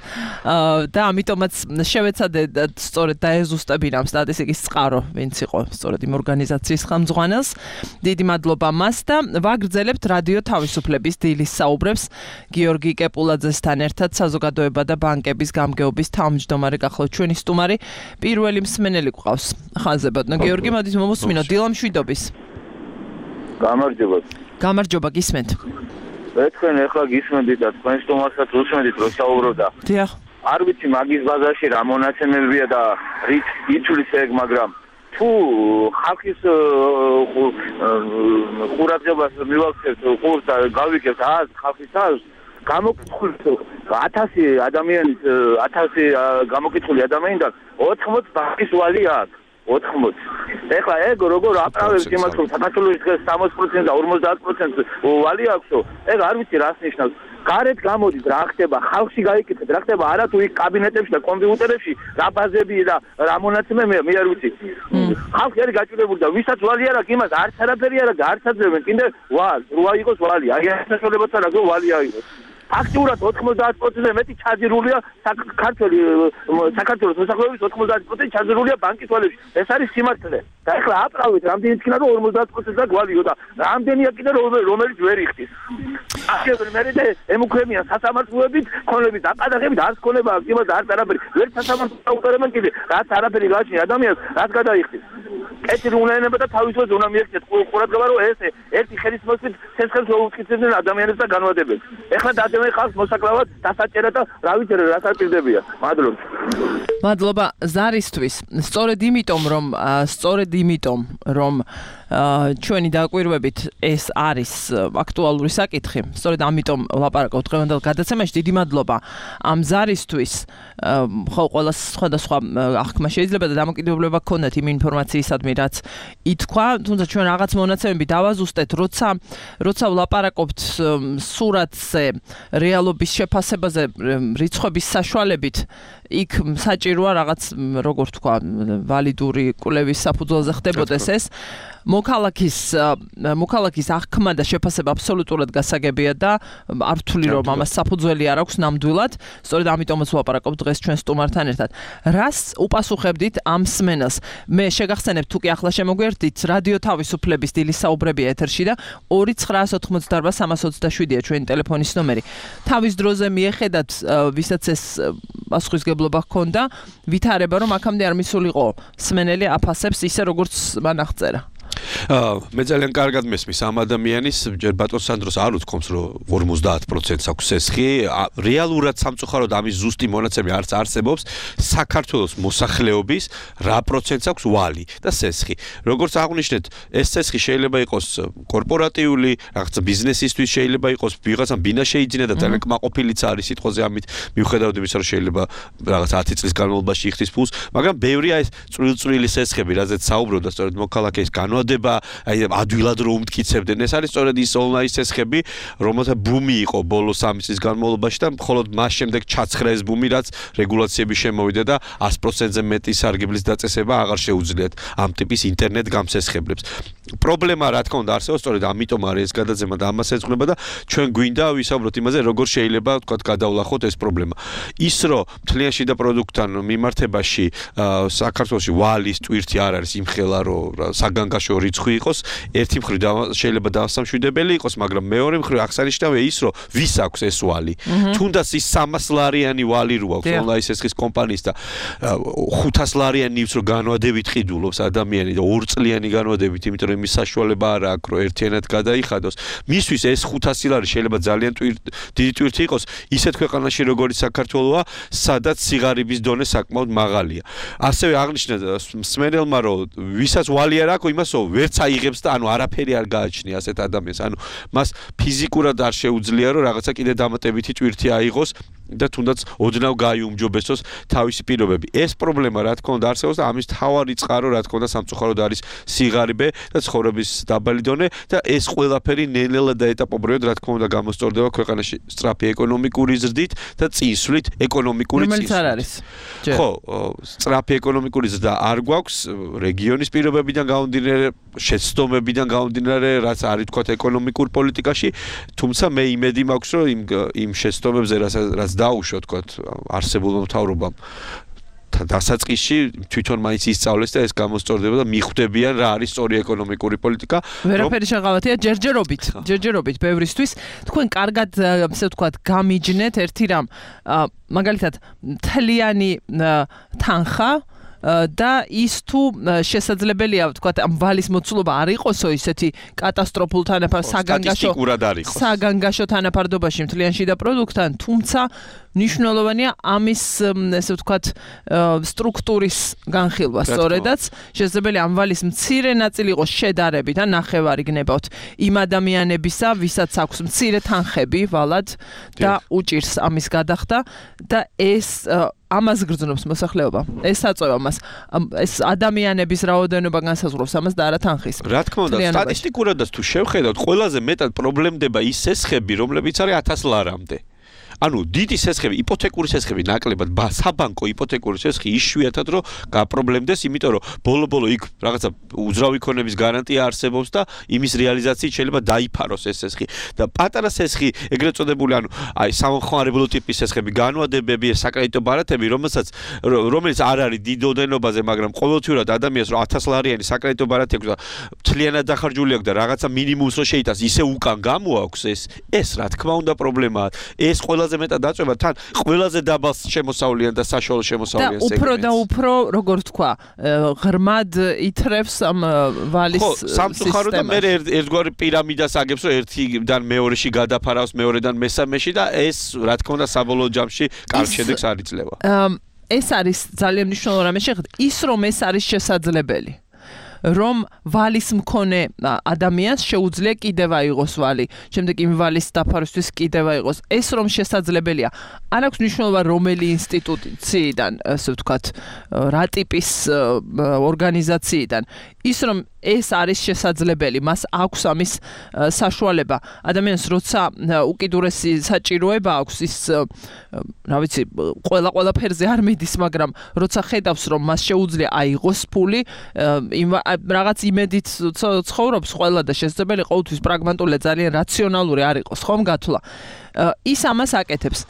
და ამიტომაც შევეცადე სწორედ დაეზუსტებინა ამ სტატისტიკის წყარო, ვინც იყო სწორედ იმ ორგანიზაციის ხელმძღვანელს. დიდი მადლობა მას და ვაგრძელებთ რადიო თავისუფლების დილის საუბრებს გიორგი კეპულაძესთან ერთად საზოგადოება და ბანკების გამგეობის თავმჯდომარე გახლავთ ჩვენი სტუმარი. პირველი მსმენელი გვყავს ხაზზე ბატონო გიორგი, მოდით მომუსმინოთ დილამშვიდობის. გამარჯობა. გამარჯობა, გისმენთ. თქვენ ახლა გისმენთ და თქვენ სტუმარსაც უსმენთ, რომ საუბრობდა. დიახ. არ ვიცი მაგის ბაზაში რა მონაცემებია და რით ითვლის ეგ, მაგრამ თუ ხალხის ყურადღებას მივაქცევთ, ყურს და გავიქებთ ხალხის თავს, გამოკითხულით 1000 ადამიანის 1000 გამოკითხული ადამიანიდან 80 ბანკის ვალი აქვს. 80. ეხლა ეგ როგორ აკრავებს იმას, რომ საქართველოს დღეს 60% და 50% ვალი აქვს, ეგ არ ვიცი რას ნიშნავს. გარეთ გამოდის რა ხდება, ხალხში გაიკეთეთ რა ხდება, არა თუ იქ კაბინეტებში და კომპიუტერებში რა ბაზები და რა მონაცემები მე არ ვიცი. ხალხი არის გაჭირებული და ვისაც ვალი არ აქვს, იმას არც არაფერი არ აქვს, არც აძლევენ, კიდე როა იყოს ვალი, აი ეს საშუალებაც არ აქვს ვალი აიღოს. აქტიურად 90%-ზე მეტი ჩაძირულია საქართველოს მოსახლეობის 90% ჩაძირულია ბანკის ვალებში. ეს არის სიმართლე. და ეხლა აპრავით რამდენი თქინა რომ 50%-ზე გვალიო და რამდენია კიდე რომელიც ვერ იხდის. ახლა მე ემუქრებიან სასამართლოებით, ქონებით, დაყადაღებით, არც ქონება აქვს, იმას არც არაფერი. ვერ სასამართლოს აუტერებენ კიდე, რაც არაფერი გააჩნია ადამიანს, რაც გადაიხდის. კეთილი უნდა ენება და თავისუფლად უნდა მიექცეთ ყურადღება, რომ ეს ერთი ხელის მოსვით სესხებს უუწყიცებდნენ ადამიანებს და განვადებებს. ეხლა დადევენ ხალხს მოსაკლავად დასაჭერა და რა ვიცი რა საპირდებია. მადლობა. მადლობა ზარისთვის. სწორედ იმიტომ რომ ჩვენი დაკვირვებით ეს არის აქტუალური საკითხი. სწორედ ამიტომ ვლაპარაკობთ დღევანდელ გადაცემაში. დიდი მადლობა ამ ზარისთვის. ხო, ყველა სხვადასხვა აღქმა შეიძლება და დამოკიდებულება გქონდეთ იმ ინფორმაციისადმი, რაც ითქვა, თუმცა ჩვენ რაღაც მონაცემები დავაზუსტეთ, როცა ვლაპარაკობთ სურათზე, რეალობის შეფასებაზე, რიცხვების საშუალებით, იქ საჭიროა რაღაც, როგორ თქვა, ვალიდური კვლევის საფუძველზე ხდებოდეს ეს. მოქალაქის აღქმა და შეფასება აბსოლუტურად გასაგებია და არ ვთვლი რომ ამას საფუძველი არ აქვს ნამდვილად. სწორედ ამიტომაც ვლაპარაკობ დღეს ჩვენ სტუმართან ერთად. რას უპასუხებდით ამ მსმენელს? მე შეგახსენებთ, თუ კი ახლა შემოგვერთით, რადიო თავისუფლების დილის საუბრები ეთერში და 2988327-ია ჩვენი ტელეფონის ნომერი. თავის დროზე მიეხედათ, ვისაც ეს პასუხისგებლობა ჰქონდა, ვითარება რომ აქამდე არ მისულიყო მსმენელი აფასებს ისე როგორც მან აღწერა. მე ძალიან კარგად მესმის ამ ადამიანის ჯერ ბატონ სანდროს არ უთქვამს რომ 50% აქვს სესხი რეალურად სამწუხაროდ ამის ზუსტი მონაცემი არც არსებობს საქართველოს მოსახლეობის რა პროცენტს აქვს ვალი და სესხი როგორც აღნიშნეთ ეს სესხი შეიძლება იყოს კორპორატიული რაღაც ბიზნესისთვის შეიძლება იყოს ვიღაცამ ბინა შეიძინა და ძალიან კმაყოფილიც არის სიტყვაზე ამით მიუხედავად იმისა რომ შეიძლება რაღაც 10 წლის განმავლობაში იხდის ფულს მაგრამ ბევრია ეს წვრილ-წვრილი სესხები რაზეც საუბრობდა სწორედ მოქალაქეის განვადება აი ადვილად რომ უმტკიცებდნენ ეს არის სწორედ ის ონლაინ სესხები რომელთა ბუმი იყო ბოლო 3 წლის განმავლობაში და მხოლოდ მას შემდეგ ჩაცხრა ეს ბუმი რაც რეგულაციები შემოვიდა და 100%-ზე მეტი სარგებლის დაწესება აღარ შეუძლიათ ამ ტიპის ინტერნეტ გამსესხებლებს პრობლემა რა თქმა უნდა არსებობს სწორედ ამიტომ არის ეს გადაცემა და ამას ეძღვნება და ჩვენ გვინდა ვისაუბროთ იმაზე როგორ შეიძლება თქვა გადავლახოთ ეს პრობლემა ის რომ მთლიან შიდა პროდუქტთან მიმართებაში საქართველოში ვალის ტვირთი არ არის იმხელა რომ საგანგაშო რიცხვი იყოს ერთი მხრივ შეიძლება დასამშვიდებელი იყოს მაგრამ მეორე მხრივ აღსანიშნავია ის რომ ვის აქვს ეს ვალი თუნდაც ის 300 ლარიანი ვალი რო აქვს ონლაინ სესხის კომპანიის და 500 ლარიანი ის რომ განვადებით ყიდულობს ადამიანი და 2 წლიანი განვადებით იმიტომ რომ იმის საშუალება არ აქვს რომ ერთიანად გადაიხადოს მისთვის ეს 500 ლარი შეიძლება ძალიან დიდი ტვირთი იყოს ისეთ ქვეყანაში როგორც საქართველოა სადაც სიღარიბის დონე საკმაოდ მაღალია ასევე აღნიშნა სმენელმა რომ ვისაც ვალი არ აქვს იმასო ვერც აიღებს და ანუ არაფერი არ გააჩნია ასეთ ადამიანს ანუ მას ფიზიკურად არ შეუძლია რომ რაღაცა კიდე დამატებითი ტვირთი აიღოს და თუნდაც ოდნავ გაიუმჯობესოს თავისი პირობები. ეს პრობლემა რა თქმა უნდა არსებობს და ამის თავარი წყარო რა თქმა უნდა სამწუხაროდ არის სიღარიბე და ცხოვრების დაბალი დონე და ეს ყველაფერი ნელ-ნელა და ეტაპობრივად რა თქმა უნდა გამოსწორდება ქვეყანაში სწრაფი ეკონომიკური ზრდით და წინსვლით ეკონომიკური წინსვლით. რომელიც არ არის. ხო, სწრაფი ეკონომიკური ზრდა არ გვაქვს რეგიონის პირობებიდან გამომდინარე, შეცდომებიდან გამომდინარე, რაც არის თქვა ეკონომიკურ პოლიტიკაში, თუმცა მე იმედი მაქვს რომ იმ შეცდომებზე რაც დაუშვა თქვა არსებულმა მთავრობამ დასაწყისში თვითონ მაინც ისწავლეს და ეს გამოსწორდება და მიხვდებიან რა არის სწორი ეკონომიკური პოლიტიკა. ვერაფერი შეღავათია ჯერჯერობით ბევრისთვის. თქვენ კარგად ასე ვთქვათ გამიჯნეთ ერთი რამ მაგალითად მთლიანი თანხა და ის თუ შესაძლებელია ვთქვათ ამ ვალის მოცულობა არ იყოსო ისეთი კატასტროფულ თანაფარ საგანგაშო თანაფარდობაში მთლიან შიდა პროდუქტთან თუმცა ნიშნულოვანია ამის ესე ვთქვათ სტრუქტურის განხილვა სწორედაც შესაძლებელია ამ ვალის მცირე ნაწილი იყოს შედარებით ან ნახევარი გნებავთ იმ ადამიანებისა ვისაც აქვს მცირე თანხები ვალად და უჭირს ამის გადახდა და ეს ამას გრძნობს მოსახლეობა. ეს აწევა მას. ეს ადამიანების რაოდენობა განსაზღვრავს ამას და არა თანხის. რა თქმა უნდა, სტატისტიკურადაც თუ შევხედავთ, ყველაზე მეტად პრობლემდება ის სესხები, რომლებიც არის 1000 ლარამდე. ანუ დიდი სესხები, იპოთეკური სესხები ნაკლებად, საბანკო იპოთეკური სესხი იშვიათად რომ გაპრობლემდეს, იმიტომ რომ ბოლო-ბოლო იქ რაღაცა უძრავი ქონების გარანტია არსებობს და იმის რეალიზაციით შეიძლება დაიფაროს ეს სესხი. და პატარა სესხი, ეგრეთ წოდებული, ანუ აი სამხმარებლო ტიპის სესხები, განვადებები, საკრედიტო ბარათები, რომელიც არ არის დიდ ოდენობაზე, მაგრამ ყოველთვიურად ადამიანს რომ 1000 ლარიანი საკრედიტო ბარათი აქვს და მთლიანად დახარჯული აქვს და რაღაცა მინიმუმს რომ შეიტანს, ისე უკან გამოაქვს ეს რა თქმა უნდა პრობლემაა. ეს ყველაზე მეტად აწვება თან ყველაზე დაბალ შემოსავლიან და საშუალო შემოსავლიან სეგმენტს. უფრო და უფრო როგორ თქვა, ღრმად ითრევს ამ ვალის სისტემას. სამწუხაროდ და მე ერთგვარი პირამიდას აგებს, რომ ერთიდან მეორეში გადაფარავს, მეორედან მესამეში და ეს რა თქმა უნდა საბოლოო ჯამში კარგ შედეგს არ იძლევა. ეს არის ძალიან მნიშვნელოვანი რამე შეხედეთ, ის რომ ეს არის შესაძლებელი. რომ ვალის მქონე ადამიანს შეუძლია კიდევ აიღოს ვალი, შემდეგ იმ ვალის დაფარვისთვის კიდევ აიღოს. ეს რომ შესაძლებელია. არ აქვს მნიშვნელობა რომელი ინსტიტუციიდან, ასე ვთქვათ, რა ტიპის ორგანიზაციიდან. ის რომ ეს არის შესაძლებელი, მას აქვს ამის საშუალება. ადამიანს როცა უკიდურესი საჭიროება აქვს, ის რა ვიცი, ყველაფერზე არ მიდის, მაგრამ როცა ხედავს რომ მას შეუძლია აიღოს ფული, რაღაც იმედით ცხოვრობს ყველა და შესაძლებელი ყოველთვის პრაგმატული, ძალიან რაციონალური არ იყოს, ხომ გათვლა. ის ამას აკეთებს.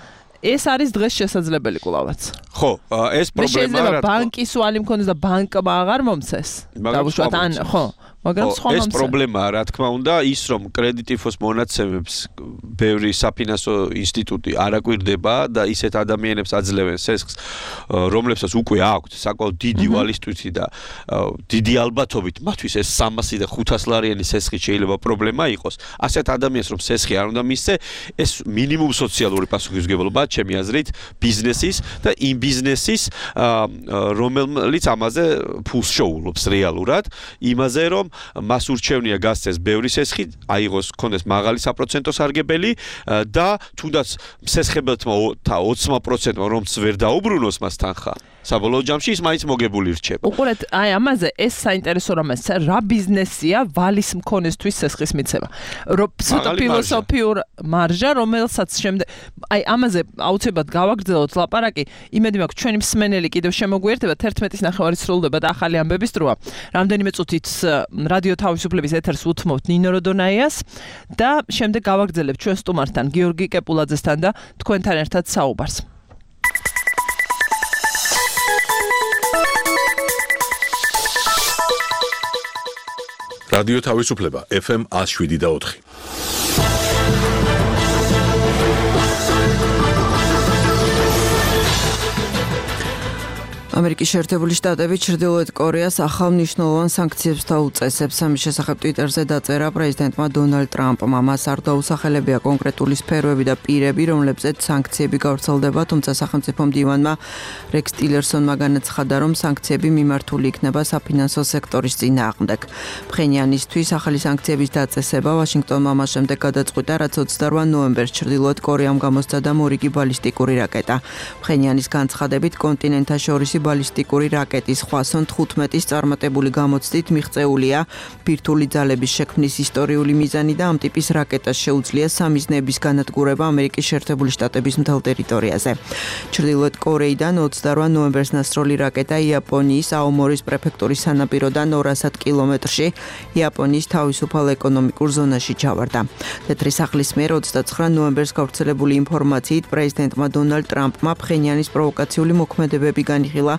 ეს არის დღეს შესაძლებელი კვლავაც. ხო, ეს პრობლემაა. შეიძლება ბანკის ვალი მქონდეს და ბანკმა აღარ მომცეს. დავუშვათ ან ხო, მაგრამ სხვა ეს პრობლემაა, რა თქმა უნდა, ის რომ კრედიტიფოს მონაცემებს ბევრი საფინანსო ინსტიტუტი არ აკვირდება და ისეთ ადამიანებს აძლევენ სესხს, რომლებსაც უკვე აქვთ საკმაოდ დიდი ვალისტვითი და დიდი ალბათობით მათთვის ეს 300 და 500 ლარიანი სესხი შეიძლება პრობლემა იყოს. ასეთ ადამიანს რომ სესხი არ უნდა მისცე, ეს მინიმუმ სოციალური პასუხისმგებლობაა ჩემი აზრით ბიზნესის და იმ ბიზნესის რომელიც ამაზე ფულს შეუვლობს რეალურად, იმაზე რომ მას ურჩევნია გასცეს ბევრი სესხი, აიღოს კონდეს მაღალი საპროცენტო სარგებელი და თუნდაც სესხებელთმა 20%-მა რომც ვერ დაუბრუნოს მას თანხა. საბოლოო ჯამში ის მაინც მოგებული რჩება. უყურეთ, აი ამაზე ეს საინტერესო რამეც, რა ბიზნესია ვალის მქონესთვის სესხის მიცემა. ცოტა ფილოსოფიურ მარჟა, რომელსაც შემდეგ აი ამაზე აუცილებლად გავაგრძელოთ ლაპარაკი. იმედი მაქვს ჩვენი მსმენელი კიდევ შემოგვიერთება 11:09 სრულდება და ახალი ამბების დროა. რამდენიმე წუთით რადიო თავისუფლების ეთერს უთმობთ ნინო როდონაიას და შემდეგ გავაგრძელებთ ჩვენ სტუმართან გიორგი კეპულაძესთან და თქვენთან ერთად საუბარს. რადიო თავისუფლება FM 107.4. ამერიკის შეერთებული შტატები ჩრდილოეთ კორეას ახალ მნიშვნელოვან სანქციებს დაუწესებს. ამის შესახებ ტვიტერზე დაწერა პრეზიდენტმა დონალდ ტრამპმა. მას არ დაუსახელებია კონკრეტული სფეროები და პირები, რომლებზეც სანქციები გავრცელდება, თუმცა სახელმწიფო მდივანმა რექს ტილერსონმა განაცხადა, რომ სანქციები მიმართული იქნება საფინანსო სექტორის წინააღმდეგ. ფხენიანისთვის ახალი სანქციების დაწესება ვაშინგტონმა მას შემდეგ გადაწყვიტა, რაც 28 ნოემბერს ჩრდილოეთ კორეამ გამოსცადა მორიგი ბალისტიკური რაკეტა. ფხენიანის განცხადებით კონტინენტაშორისი ბალისტიკური რაკეტის ხვასონ 15-ის წარმატებული გამოცდით მიღწეულია ბირთვული ძალების შექმნის ისტორიული მიზანი და ამ ტიპის რაკეტას შეუძლია სამიზნეების განადგურება ამერიკის შეერთებული შტატების მთელ ტერიტორიაზე. ჩრდილოეთ კორეიდან 28 ნოემბერს ნასროლი რაკეტა იაპონიის აომორის პრეფექტურის სანაპიროდან 200 კილომეტრში იაპონიის თავისუფალ ეკონომიკურ ზონაში ჩავარდა. თეთრი სახლის მიერ 29 ნოემბერს გავრცელებული ინფორმაციით პრეზიდენტმა დონალდ ტრამპმა ფხენიანის პროვოკაციული მოქმედებები განიხილა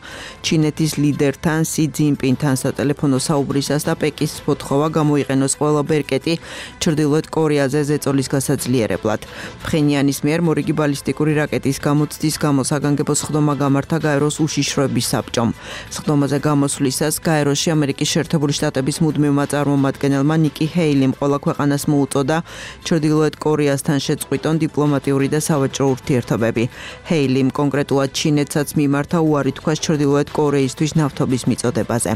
ჩინეთის ლიდერთან სი ძინპინთან სატელეფონო საუბრისას და პეკინის მოთხოვა გამოიყენოს ყველა ბერკეტი ჩრდილოეთ კორეაზე ზეწოლის გასაძლიერებლად. ფხენიანის მიერ მორიგი ბალისტიკური რაკეტის გამოცდის გამო საგანგებო სხდომა გამართა გაეროს უშიშროების საბჭომ. სხდომაზე გამოსვლისას გაეროში ამერიკის შეერთებული შტატების მუდმივმა წარმომადგენელმა ნიკი ჰეილიმ ყველა ქვეყანას მოუწოდა ჩრდილოეთ კორეასთან შეწყვიტონ დიპლომატიური და სავაჭრო ურთიერთობები. ჰეილიმ კონკრეტულად ჩინეთსაც მიმართა უარი თქვა ჩრდილოეთ კორეისთვის ნავთობის მიწოდებაზე.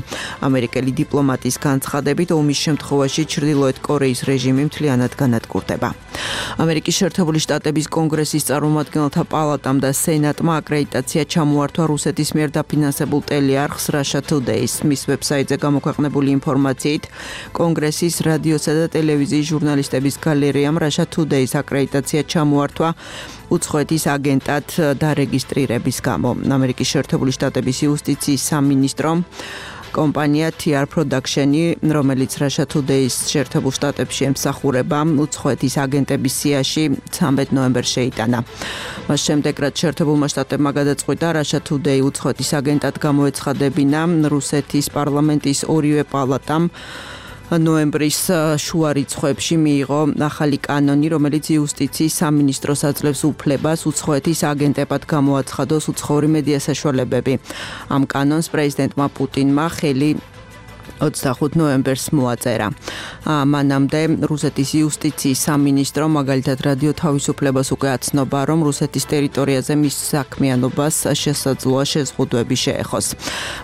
ამერიკელი დიპლომატის განცხადებით ომის შემთხვევაში ჩრდილოეთ კორეის რეჟიმი მთლიანად განადგურდება. ამერიკის შეერთებული შტატების კონგრესის წარმომადგენელთა პალატამ და სენატმა აკრედიტაცია ჩამოართვა რუსეთის მიერ დაფინანსებულ ტელეარხს Russia Today-ს. მის ვებსაიტზე გამოქვეყნებული ინფორმაციით კონგრესის რადიოსა და ტელევიზიის ჟურნალისტების გალერეამ Russia Today-ს აკრედიტაცია ჩამოართვა უცხოეთის აგენტად დარეგისტრირების გამო. ამერიკის შეერთებული შტატების იუსტიციის სამინისტრომ კომპანია TR Production-ი, რომელიც Russia Today-ს შეერთებულ შტატებში ემსახურება, უცხოეთის აგენტების სიაში 13 ნოემბერს შეიტანა. მას შემდეგ, რაც შეერთებულმა შტატებმა გადაწყვიტა Russia Today უცხოეთის აგენტად გამოეცხადებინა, რუსეთის პარლამენტის ორივე პალატამ ნოემბრის შუა რიცხვებში მიიღო ახალი კანონი, რომელიც იუსტიციის სამინისტროს აძლევს უფლებას უცხოეთის აგენტებად გამოაცხადოს უცხოური მედია საშუალებები. ამ კანონს პრეზიდენტმა პუტინმა ხელი 25 ნოემბერს მოაწერა. მანამდე რუსეთის იუსტიციის სამინისტრო მაგალითად რადიო თავისუფლებას უკვე აცნობა, რომ რუსეთის ტერიტორიაზე მის საქმიანობას შესაძლოა შეზღუდვები შეეხოს.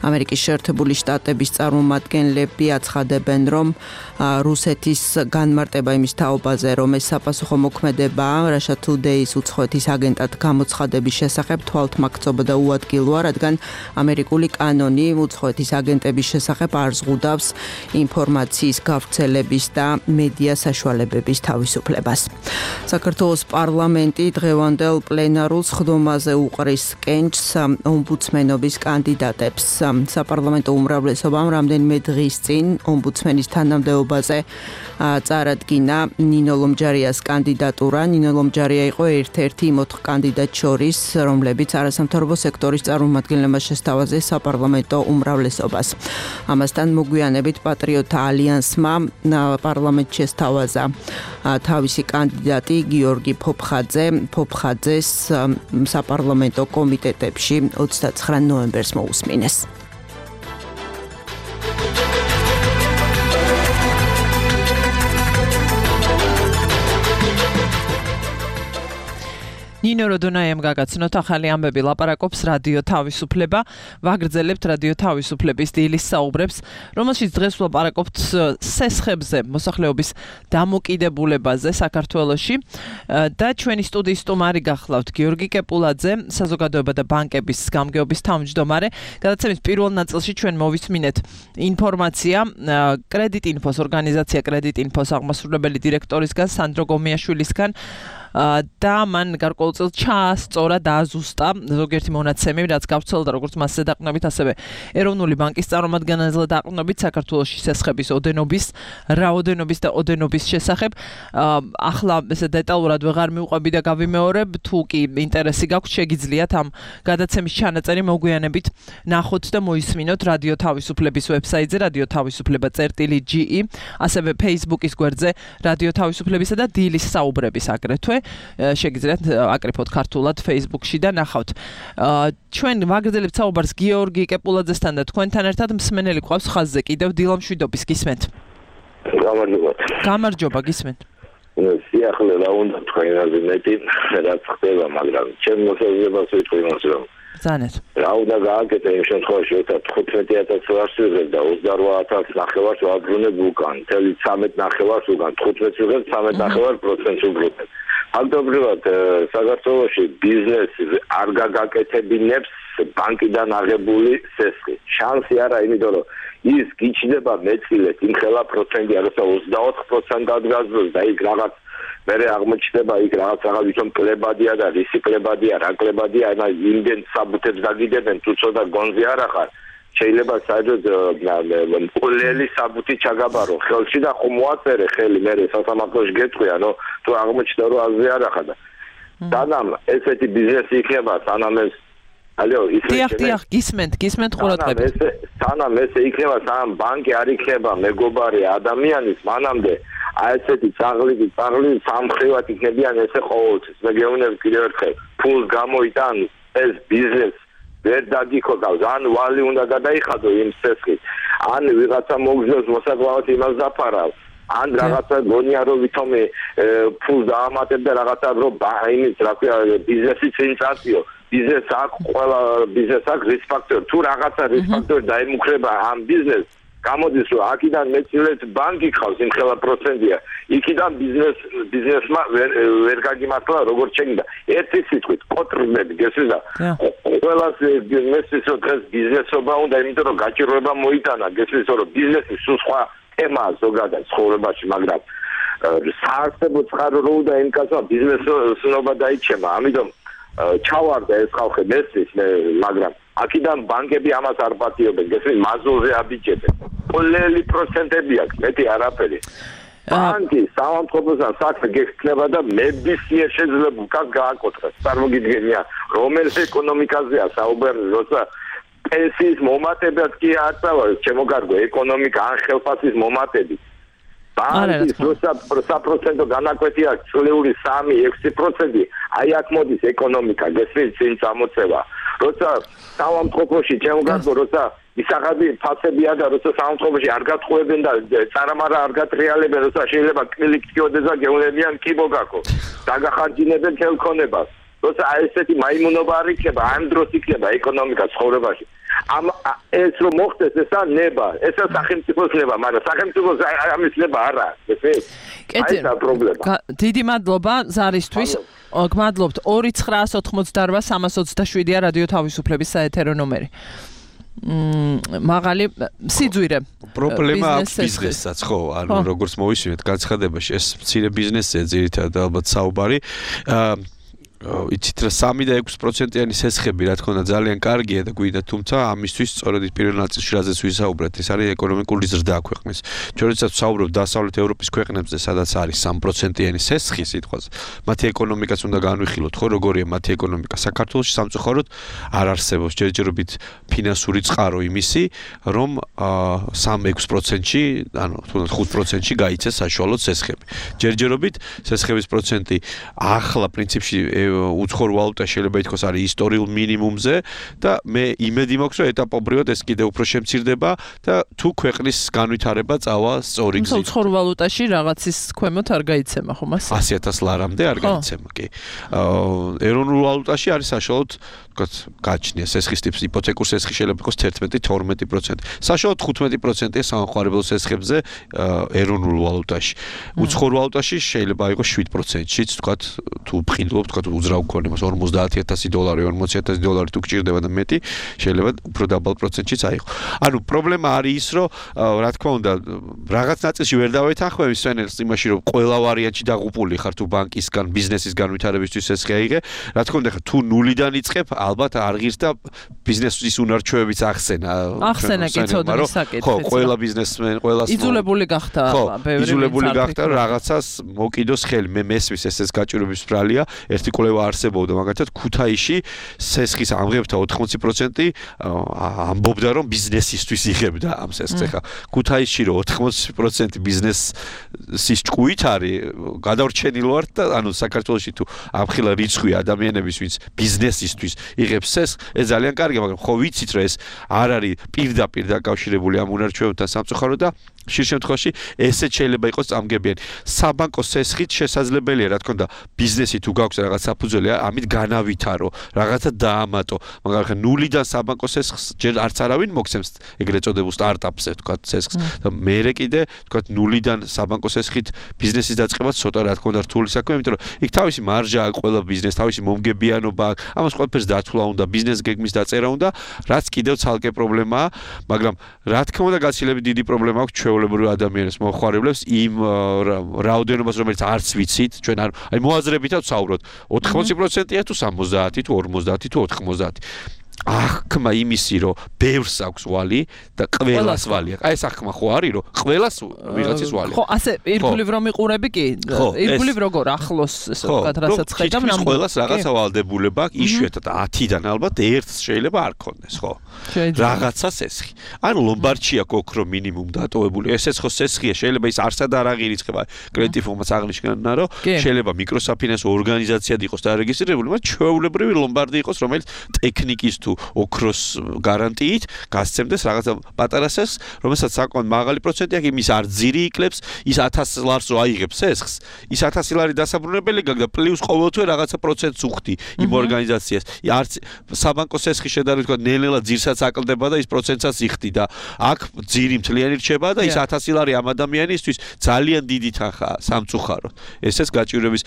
ამერიკის შეერთებული შტატების წარმომადგენლები აცხადებენ, რომ რუსეთის განმარტება იმის თაობაზე, რომ ეს საპასუხო მოქმედებაა Russia Today-ს უცხოეთის აგენტად გამოცხადების შესახებ თვალთმაქცობა და უადგილოა, რადგან ამერიკული კანონი უცხოეთის აგენტების შესახებ არ ზღუდავს ინფორმაციის გავრცელების და მედია საშუალებების თავისუფლებას. საქართველოს პარლამენტი დღევანდელ პლენარულ სხდომაზე უყრის კენჭს ომბუდსმენობის კანდიდატებს. საპარლამენტო უმრავლესობამ რამდენიმე დღის წინ ომბუდსმენის თანამდებობაზე წარადგინა ნინო ლომჯარიას კანდიდატურა. ნინო ლომჯარია იყო ერთ-ერთი იმ 4 კანდიდატს შორის, რომლებიც არასამთავრობო სექტორის წარმომადგენლებმა შესთავაზეს საპარლამენტო უმრავლესობას. ამასთან მოგვიანებით პატრიოტთა ალიანსმა პარლამენტში ესთავაზა თავისი კანდიდატი გიორგი ფოფხაძეს საპარლამენტო კომიტეტებში 29 ნოემბერს მოусმინეს. ნინო როდონაიამ გაგაცნოთ ახალი ამბები ლაპარაკობს რადიო თავისუფლება ვაგრძელებთ რადიო თავისუფლების დილის საუბრებს რომელშიც დღეს ვლაპარაკობთ სესხებზე მოსახლეობის დამოკიდებულებაზე საქართველოში და ჩვენი სტუდიის სტუმარი გახლავთ გიორგი კეპულაძე საზოგადოება და ბანკების გამგეობის თავმჯდომარე გადაცემის პირველ ნაწილში ჩვენ მოვისმინეთ ინფორმაცია კრედიტინფოს ორგანიზაცია კრედიტინფოს აღმასრულებელი დირექტორისგან სანდრო გომიაშვილისგან და მან გარკვეულწილ ჩაასწორა და აზუსტა ზოგიერთი მონაცემი, რაც გავრცელდა როგორც მასზე დაყრდნობით, ასევე ეროვნული ბანკის წარმომადგენელზე დაყრდნობით საქართველოში სესხების ოდენობის, რაოდენობის და ოდენობის შესახებ. ახლა ესე დეტალურად ვეღარ მივყვები და გავიმეორებ, თუ კი ინტერესი გაქვთ, შეგიძლიათ ამ გადაცემის ჩანაწერი მოგვიანებით ნახოთ და მოისმინოთ რადიო თავისუფლების ვებსაიტზე radioთავისუფლება.ge, ასევე Facebook-ის გვერდზე რადიო თავისუფლებისა და დილის საუბრების აგრეთვე. შეგიძლიათ აკრიფოთ ქართულად Facebook-ში და ნახავთ. ჩვენ ვაგრძელებთ საუბარს გიორგი კეპულაძესთან და თქვენთან ერთად მსმენელი ყავს ხაზზე კიდევ დილა მშვიდობის გისმენთ. გამარჯობა გისმენთ. სიახლე რა უნდა თქვენაზე მეტი რაც ხდება, მაგრამ ჩემ მოსაზრებას ვიტყვი იმას რომ ზანეთ. რა უნდა გააკეთე იმ შემთხვევაში, როცა 15,000 ვარს ვიღებ და 28,000 ნახევარს ვაბრუნებ უკან, 13 ნახევარს უკან, 15 ვიღებ 13% უბრუნებ. ფაქტობრივად საქართველოში ბიზნესი არ გაგაკეთებინებს ბანკიდან აღებული სესხი. შანსი არა, იმიტომ რომ ის გიჩნდება მეწილეთ იმხელა პროცენტი, როცა 24% გაზრდოს და იქ რაღაც მერე აღმოჩნდება იქ რაღაც ვითომ კლებადია და რისი კლებადია, რა კლებადია, ანა იმდენ საბუთებს დაგიდებენ, თუ ცოტა გონზე არ ახარ. შეიძლება საერთოდ პოლელი საბუთი ჩაგაბარო ხელში და ხომ მოაწერე ხელი მერე სასამართლოში გეტყვი, ანუ თუ აღმოჩნდა რომ აზრი არ ახადა. სანამ ესეთი ბიზნესი იქნება, სანამ ეს დიახ, გისმენთ ყურადღებით. სანამ ესე იქნება, სანამ ბანკი არ იქნება მეგობარი ადამიანის, მანამდე ესეთი წაღლი სამხრივად იქნებიან ესე ყოველთვის. მე გეუბნები კიდევ ერთხელ, ფულს გამოიტან ეს ბიზნესი ვერ დაგიქოგავს, ან ვალი უნდა გადაიხადო იმ სესხით, ან ვიღაცა მოგზნოს მოსაკლავად იმას დაფარავ, ან რაღაცა გონია რომ ვითომი ფულს დაამატებ და რაღაცა რომ იმის რა ქვია ბიზნესი წინ წაწიო. ბიზნეს აქვს ყველა ბიზნეს აქვს რისკ ფაქტორი. თუ რაღაცა რისკ ფაქტორი დაემუქრება ამ ბიზნესს, გამოდის რომ აქედან მეცილეთ ბანკი ხავს იმხელა პროცენტია. იქიდან ბიზნესმა ვერ გაგიმართლა როგორც შეიძლება. ერთი სიტყვით კოტრნები გესმის და ყველას მესმის რომ დღეს ბიზნესობა უნდა, იმიტომ რომ გაჭირვება მოიტანა, გესმის რომ ბიზნესი სულ სხვა თემაა ზოგადად ცხოვრებაში, მაგრამ საარსებო წყარო რო უნდა იმკაცვა ბიზნესობა დაიჩემა. ამიტომ ჩავარდა ეს ხალხი მესმის, მაგრამ აქედან ბანკები ამას არ პატიობენ, გესმის, მაზულზე აბიჯებენ. ყველელი პროცენტები აქვს, მეტი არაფერი. ბანკი სამართლებრივად საქმე გექნება და მებისმიერ შეიძლება უკან გააკოტროს. წარმოგიდგენია, რომელ ეკონომიკაზეა საუბარი, როცა პენსიის მომატებაც კი აწავა, ჩემო კარგო, ეკონომიკა ან ხელფასის მომატები. ბანკის როცა საპროცენტო განაკვეთი აქვს წლიური 3-6%, აი აქ მოდის ეკონომიკა, გესმის, წინ წამოწევა. როცა სამართლებოში, ჩემო კარგო, როცა ისახადი ფასებია და როცა სამართლებაში არ გატყუებენ და წარამარა არ გატრიალებენ, როცა შეიძლება კლიქტიოდეს და გეუნებიან კი მოგაკო. დაგახარჯინებენ ხელქონებას. როცა ესეთი მაიმუნობა არ იქნება, ამ დროს იქნება ეკონომიკა ცხოვრებაში. ეს რომ მოხდეს, ესა ნება, ესა სახელმწიფოს ნება, მაგრამ სახელმწიფოს ამის ნება არა, ესეც. აი ეს პრობლემა. დიდი მადლობა ზარისთვის. გმადლობთ 2988327-ია რადიო თავისუფლების საეთერო ნომერი. მაღალი სიძვირე პრობლემა აქვს ბიზნესსაც, ხო? ანუ როგორც მოვისმინეთ განცხადებაში, ეს მცირე ბიზნესია ძირითადად ალბათ საუბარი. იცით რა 3 და 6%-იანი სესხები რა თქმა უნდა ძალიან კარგია და გვინდა თუმცა ამისთვის სწორედ პირველ ნაწილში რაზეც ვისაუბრეთ ეს არის ეკონომიკური ზრდა ქვეყნის ჩვენ როდესაც ვსაუბრობ დასავლეთ ევროპის ქვეყნებზე სადაც არის 3%-იანი სესხი სიტყვაზე მათი ეკონომიკაც უნდა განვიხილოთ ხო როგორია მათი ეკონომიკა საქართველოში სამწუხაროდ არ არსებობს ჯერჯერობით ფინანსური წყარო იმისი რომ 3-6%-ში ანუ თუნდაც 5%-ში გაიცეს საშუალო სესხები ჯერჯერობით სესხების პროცენტი ახლა პრინციპში უცხოურ ვალუტაში შეიძლება ითქვას არის ისტორიულ მინიმუმზე და მე იმედი მაქვს რომ ეტაპობრივად ეს კიდევ უფრო შემცირდება და თუ ქვეყნის განვითარება წავა სწორი გზით. უცხოურ ვალუტაში რაღაცის ქვემოთ არ გაიცემა ხომ ასე? 100,000 ლარამდე არ გაიცემა კი. ეროვნულ ვალუტაში არის საშუალოდ ვთქვათ გაჩნია სესხის ტიპის იპოთეკურ სესხი შეიძლება იყოს 11-12%. საშუალოდ 15%-ია სამხარებელო სესხებზე ეროვნულ ვალუტაში. უცხოურ ვალუტაში შეიძლება იყოს 7%-შიც ვთქვათ თუ ვფრინდობ ვთქვათ უძრავ გქონი მას $50,000 $40,000 თუ გჭირდება და მეტი შეიძლება უფრო დაბალ პროცენტშიც აიღო. ანუ პრობლემა არის ის რომ რა თქმა უნდა რაღაც ნაწილში ვერ დავეთანხმები სვენელს იმაში რომ ყველა ვარიანტში დაღუპული ხარ თუ ბანკისგან ბიზნესის განვითარებისთვის ეს შეაიღე რა თქმა უნდა თუ ნულიდან იწყებ ალბათ არ ღირს და ბიზნესის უნარჩვევებიც ახსენა კი ცოდნის საკითხიც ხო ყველა ბიზნესმენ ყველას იძულებული გახდა ბევრი იძულებული გახდა რაღაცას მოკიდოს ხელი მე მესვის ეს გაჭირვების ბრალია ერთი კვლევა არსებობდა მაგალითად ქუთაისში სესხის ამღებთა 80% ამბობდა რომ ბიზნესისთვის იღებდა ამ სესხს ხა ქუთაისში რომ 80% ბიზნესის ჭკუით არის გადავრჩენილ ვართ და ანუ საქართველოში თუ ამხილა რიცხვი ადამიანების ვინც ბიზნესისთვის იღებს სესხს ეს ძალიან კარგია მაგრამ ხო ვიცით რომ ეს არ არის პირდაპირ დაკავშირებული ამ უნარჩვევებთან სამწუხაროდ და ხშირ შემთხვევაში ესეც შეიძლება იყოს წამგებიანი საბანკო სესხით შესაძლებელია რა თქმა უნდა ბიზნესი თუ გაქვს რაღაც საფუძველი ამით განავითარო რაღაცა დაამატო მაგრამ ნულიდან საბანკო სესხს ჯერ არც არავინ მოგცემს ეგრეთ წოდებულ სტარტაპზე თქვა სესხს და მერე კიდე თქვა ნულიდან საბანკო სესხით ბიზნესის დაწყებაც ცოტა რა თქმა უნდა რთული საქმეა იმიტომ რომ იქ თავისი მარჟა აქვს ყველა ბიზნეს თავისი მომგებიანობა აქვს ამას ყველაფერს დათვლა უნდა ბიზნეს გეგმის დაწერა უნდა რაც კიდევ ცალკე პრობლემაა მაგრამ რა თქმა უნდა გაცილებით დიდი პრობლემა აქვს ჩვეულებრივ ადამიანებს მოხარებლებს იმ რაოდენობას რომელიც არც ვიცით ჩვენ აი მოაზრებითაც ვსაუბრობთ 80%-ია თუ 70 თუ 50 თუ 90 ახმა იმისი რომ ბევრს აქვს ვალი და ყველას ვალი აქვს. აი ეს ახმა ხო არის რომ ყველას ვიღაცის ვალი აქვს. ხო, ასე ირგვლივ რომ იყურები კი? ირგვლივ როგორ ახლოს ესე ვთქვათ, რასაც ხედავ ნამდვილად. ყველას რაღაცა ვალდებულება აქვს, იშვიათად 10-დან ალბათ ერთს შეიძლება არ ქონდეს, ხო? რაღაცა სესხი. ანუ ლომბარდში აქვს ოქრო მინიმუმ დატოვებული. ესეც ხო სესხია, შეიძლება ის არსად არ აღირიცხება. კრედიტი ფონდს აღნიშნავენ რომ შეიძლება მიკროსაფინანსო ორგანიზაციად იყოს დარეგისტრირებული, მაგრამ ჩვეულებრივი ლომბარდი იყოს, რომელიც ტექნიკის თუ ოქროს გარანტიით გასცემდეს რაღაცა პატარა სესხს, რომელსაც საკმაოდ მაღალი პროცენტი აქვს, იმის არ ძირი იკლებს, ის 1000 ლარს რო აიღებს სესხს, ის 1000 ლარი დასაბრუნებელი გაქვს და პლუს ყოველთვე რაღაცა პროცენტს უხდი იმ ორგანიზაციას. არც საბანკო სესხი შედარებით თქვა ნელ-ნელა ძირსაც აკლდება და ის პროცენტსაც იხდი და აქ ძირი მთლიანი რჩება და ის 1000 ლარი ამ ადამიანისთვის ძალიან დიდი თანხაა სამწუხაროდ. ესეც გაჭირვების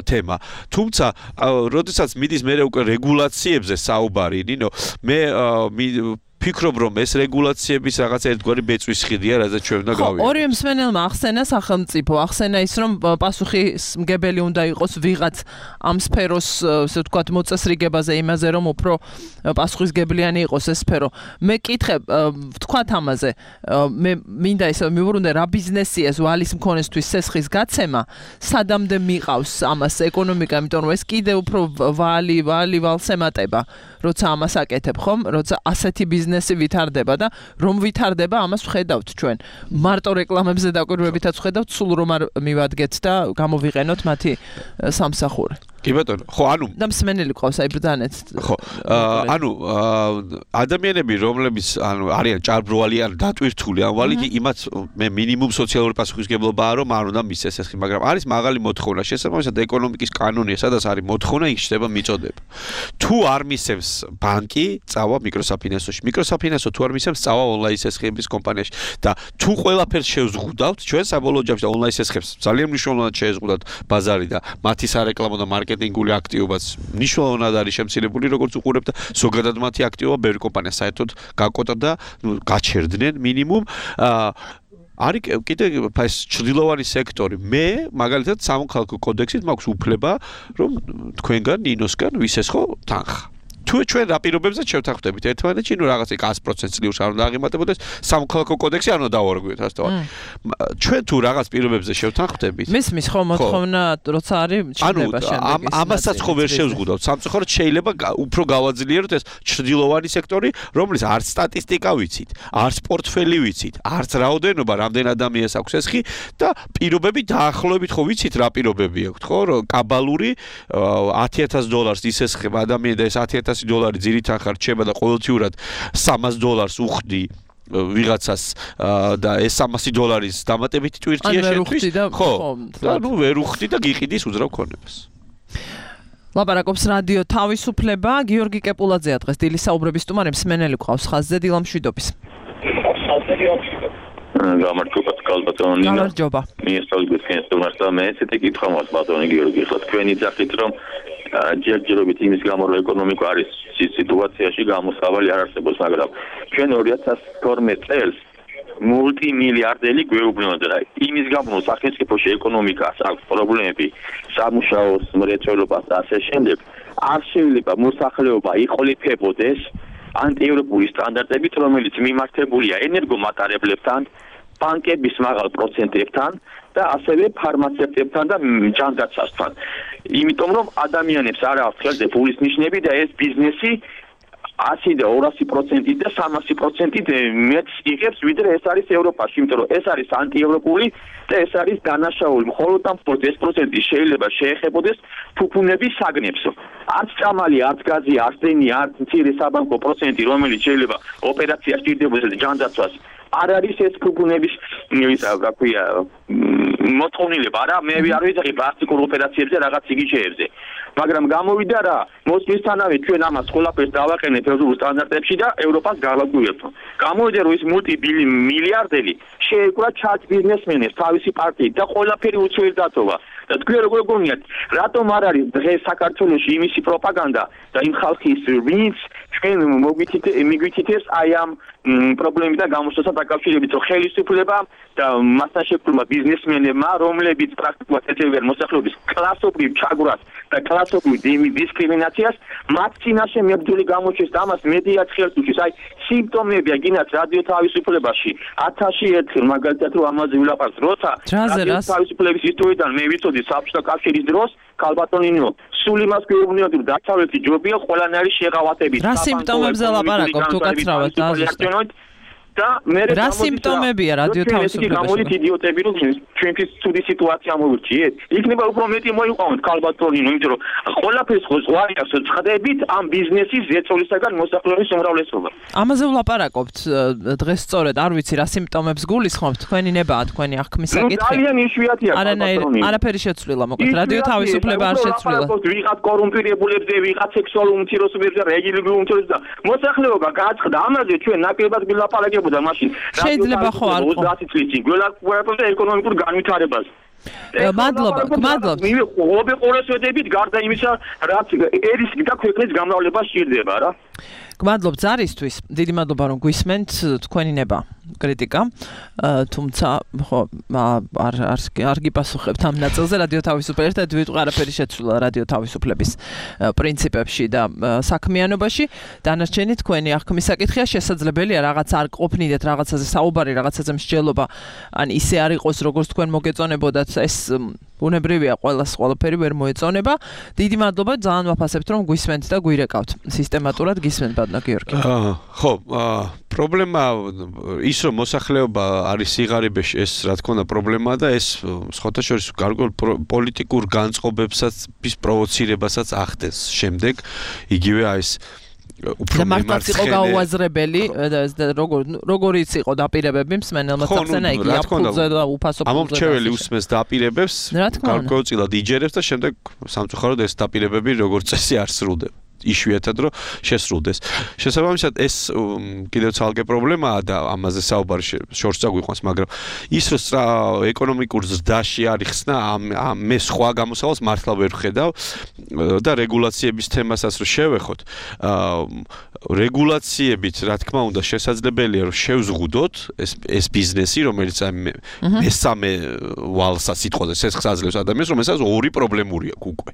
თემა. თუმცა, როდესაც მიდის მე უკვე რეგულაციებზე საუბარი ნინო მე ფიქრობ რომ ეს რეგულაციების რაღაც ერთგვარი ბეწვის ხიდია, რაზეც ჩვენ უნდა გავიაროთ. ორივე მსმენელმა ახსენა სახელმწიფო, ახსენა ის რომ პასუხისმგებელი უნდა იყოს ვიღაც ამ სფეროს, ასე ვთქვათ, მოწესრიგებაზე, იმაზე რომ უფრო პასუხისგებლიანი იყოს ეს სფერო. მე კითხებ, ვთქვათ ამაზე, მე მინდა ისე მივუბრუნდე რა ბიზნესია ეს ვალის მქონესთვის სესხის გაცემა, სადამდე მიყავს ამას ეკონომიკა, იმიტომ რომ ეს კიდე უფრო ვალს ემატება, როცა ამას აკეთებ, ხომ? როცა ასეთი ბიზნესი ვითარდება და რომ ვითარდება, ამას ვხედავთ ჩვენ. მარტო რეკლამებზე დაკვირვებითაც ვხედავთ, სულ რომ არ მივადგეთ და გამოვიყენოთ მათი სამსახური. კი ბატონო, ხო, ანუ და მსმენელი ყავს აი ბრძანეთ. ხო, ანუ ადამიანები, რომლებიც ანუ არიან ჭარბროვალი ან დატვირთული ამ ვალით, იმათ მე მინიმუმ სოციალური პასუხისმგებლობაა რომ არ უნდა მისცეს ეს, მაგრამ არის მაღალი მოთხოვნა, შესაბამისად ეკონომიკის კანონია, სადაც არის მოთხოვნა, იქ შეიძლება მიწოდება. თუ არ მისცემს ბანკი, წავა მიკროსაფინანსოში. მიკროსაფინანსო თუ არ მისცემს, წავა ონლაინ სესხების კომპანიაში და თუ ყველაფერს შევზღუდავთ, ჩვენ საბოლოო ჯამში ონლაინ სესხებს ძალიან მნიშვნელოვნად შევზღუდავთ ბაზარი და მათი სარეკლამო და მარკეტინგული აქტივობაც მნიშვნელოვნად არის შემცირებული, როგორც უყურებთ და ზოგადად მათი აქტივობა ბევრი კომპანია საერთოდ გაკოტრდა, გაჩერდნენ მინიმუმ არის კიდე ეს ჩრდილოვანი სექტორი. მე მაგალითად სამოქალაქო კოდექსით მაქვს უფლება, რომ თქვენგან ნინოსგან ვისესხო თანხა. თუ ჩვენ რა პირობებზეც შევთანხმდებით ერთმანეთში, ნუ რაღაცა 100% ძლივს არ უნდა აღემატებოდეს, სამოქალაქო კოდექსი არ უნდა დავარღვიოთ, ასე თქვა. ჩვენ თუ რაღაც პირობებზე შევთანხმდებით. მის ხო მოთხოვნა როცა არის ჩნდება შემდეგ. ამასაც ხო ვერ შევზღუდავთ. სამწუხაროდ შეიძლება უფრო გავაძლიეროთ ეს ჩრდილოვანი სექტორი, რომლის არც სტატისტიკა ვიცით, არც პორტფელი ვიცით, არც რაოდენობა, რამდენ ადამიანს აქვს ესხი და პირობები დაახლოებით ხო ვიცით რა პირობები აქვთ, ხო? რომ კაბალური $10,000 ისესხება ადამიანი და ეს $10,000 ძირითან ხარ რჩება და ყოველთვიურად $300 უხდი ვიღაცას და ეს $300 დამატებითი ტვირთია შენთვის ხო და ნუ ვერ უხდი და გიყიდის უძრავ ქონებას ლაპარაკობს რადიო თავისუფლება გიორგი კეპულაძეა დღეს დილის საუბრების სტუმარი მსმენელი ყავს ხაზზე დილა მშვიდობის გამარჯობა კალბატონი გამარჯობა მიესწავლეთ თქვენს სტუმარს და მე ესეთი კითხვა მაქვს ბატონი გიორგი ხლა თქვენი ძახით რომ ჯერჯერობით იმის გამო რომ ეკონომიკა არის სიტუაციაში გამოსავალი არ არსებობს მაგრამ ჩვენ 2012 წელს მულტიმილიარდელი გვეუბნოდა და იმის გამო რომ სახელმწიფოში ეკონომიკას აქვს პრობლემები სამუშაოს მრეწველობას და ასე შემდეგ არ შეიძლება მოსახლეობა იყოლიფებოდეს ანტიევროპული სტანდარტებით რომელიც მიმართებულია ენერგომატარებლებთან ბანკების მაღალ პროცენტებთან და ასევე ფარმაცევტებთან და ჯანდაცვასთან. იმიტომ რომ ადამიანებს არ აქვს ხელზე ფულის ნიშნები და ეს ბიზნესი 100 და 200% და 300% მეტს იღებს ვიდრე ეს არის ევროპაში, იმიტომ რომ ეს არის ანტიევროპული და ეს არის დანაშაული. მხოლოდ ამ 40% შეიძლება შეეხებოდეს ფუფუნების საგნებს. არც წამალი, არც გაზი, არც დენი, არც მცირე საბანკო პროცენტი, რომელიც შეიძლება ოპერაცია სჭირდებოდეს ჯანდაცვას არ არის ეს ფუფუნების რა ქვია მოთხოვნილება რა მე არ ვიცი პლასტიკურ ოპერაციებზე რაღაც იგიჩეებზე მაგრამ გამოვიდა რა მოსვლისთანავე ჩვენ ამას ყველაფერს დავაყენეთ ევროპულ სტანდარტებში და ევროპას გავაგვიერთო გამოვიდა რომ ის მულტიმილიარდელი შეეკვრა ჩარჩ ბიზნესმენებს თავისი პარტიით და ყველაფერი უცვლელდათობა და თქვენ როგორ გონიათ რატომ არ არის დღეს საქართველოში იმისი პროპაგანდა და იმ ხალხის ვინც ჩვენ მოგვითითებს აი ამ პრობლემებთან გამოსვლასთან დაკავშირებით რომ ხელისუფლება და მასთან შეფრმა ბიზნესმენებმა რომლებიც პრაქტიკულად ეწევიან მოსახლეობის კლასობრივ ჩაგვრას და კლასობრივ დისკრიმინაციას მათ წინაშე მებრძოლი გამოჩეს და ამას მედიაც ხელს უჭერს აი სიმპტომებია გინდათ რადიო თავისუფლებაში 1000-ში ერთხელ მაგალითად რომ ამაზე ვილაპარაკთ როცა რადიო თავისუფლების ისტორიიდან მე ვიცოდი საბჭოთა კავშირის დროს კალბატონინო სულ იმას გვეუბნებოდი რომ დაცავეთი ჯობია ყველანაირი შეღავათებით რა სიმპტომებზე ლაპარაკობთ თუ კაცრავად დაზუსტეთ და მე რა სიმპტომებია რადიო თავისუფლებაში გამოდით იდიოტები რომ ჩვენთვის ცუდი სიტუაცია მოვირჩიეთ იქნება უფრო მეტი მოიყვანოთ კალბატონინო იმიტომ რომ ყველაფერს ხო ზღვარი აქვს წხდებით ამ ბიზნესის ზეწოლისაგან მოსახლეობის უმრავლესობა ამაზე ვლაპარაკობთ დღეს სწორედ არ ვიცი რა სიმპტომებს გულისხმობთ თქვენი ნება თქვენი აღქმის საკითხი ძალიან იშვიათია არაფერი შეცვლილა მოკლედ რადიო თავისუფლება არ შეცვლილა ვიღაც კორუმპირებულებზე ვიღაც სექსუალურ უმცირესობებზე რელიგიურ უმცირესობებზე მოსახლეობა გააწყდა ამაზე ჩვენ ნაკლებად ვილაპარაკებთ და მაშინ შეიძლება ხო არ ხო 30 წლის წინ გველაპარაკობთ ეკონომიკურ განვითარებას მადლობა მე ყოველ ყოველს ვედებით გარდა იმისა რაც ერის და ქვეყნის გამრავლება სჭირდება რა გმადლობ ზარისთვის დიდი მადლობა რომ გვისმენთ თქვენი ნება კრიტიკა თუმცა ხო არ გიპასუხებთ ამ ნაწილზე რადიო თავისუფლება ერთად ვიტყვი არაფერი შეცვლილა რადიო თავისუფლების პრინციპებში და საქმიანობაში დანარჩენი თქვენი აღქმის საკითხია შესაძლებელია რაღაც არ ყოფნიდეთ რაღაცაზე საუბარი რაღაცაზე მსჯელობა ან ისე არ იყოს როგორც თქვენ მოგეწონებოდათ ეს ბუნებრივია ყველაფერი ვერ მოეწონება დიდი მადლობა ძალიან ვაფასებთ რომ გვისმენთ და გვირეკავთ სისტემატურად გისმენთ ბატონო გიორგი ხო პრობლემა ის რომ მოსახლეობა არის სიღარიბეში ეს რა თქმა უნდა პრობლემაა და ეს სხვათა შორის გარკვეულ პოლიტიკურ განწყობებსაც ის პროვოცირებასაც ახდენს შემდეგ იგივე აი ეს და მართლაც იყო გაუაზრებელი როგორიც იყო დაპირებები მსმენელმა წახსენა იგი აფულზე და უფასო ფულზე ამომრჩეველი უსმენს დაპირებებს გარკვეულწილად იჯერებს და შემდეგ სამწუხაროდ ეს დაპირებები როგორც წესი არ სრულდება იშვიათად რომ შესრულდეს. შესაბამისად ეს კიდევ ცალკე პრობლემაა და ამაზე საუბარი შორს წაგვიყვანს, მაგრამ ის რომ ეკონომიკურ ზრდაში არის ხსნა მე სხვა გამოსავალს მართლა ვერ ვხედავ და რეგულაციების თემასაც რომ შევეხოთ რეგულაციებით რა თქმა უნდა შესაძლებელია რომ შევზღუდოთ ეს ბიზნესი რომელიც მესამე ვალსა სიტყვაზე სესხს აძლევს ადამიანს რომელსაც ორი პრობლემური აქვს უკვე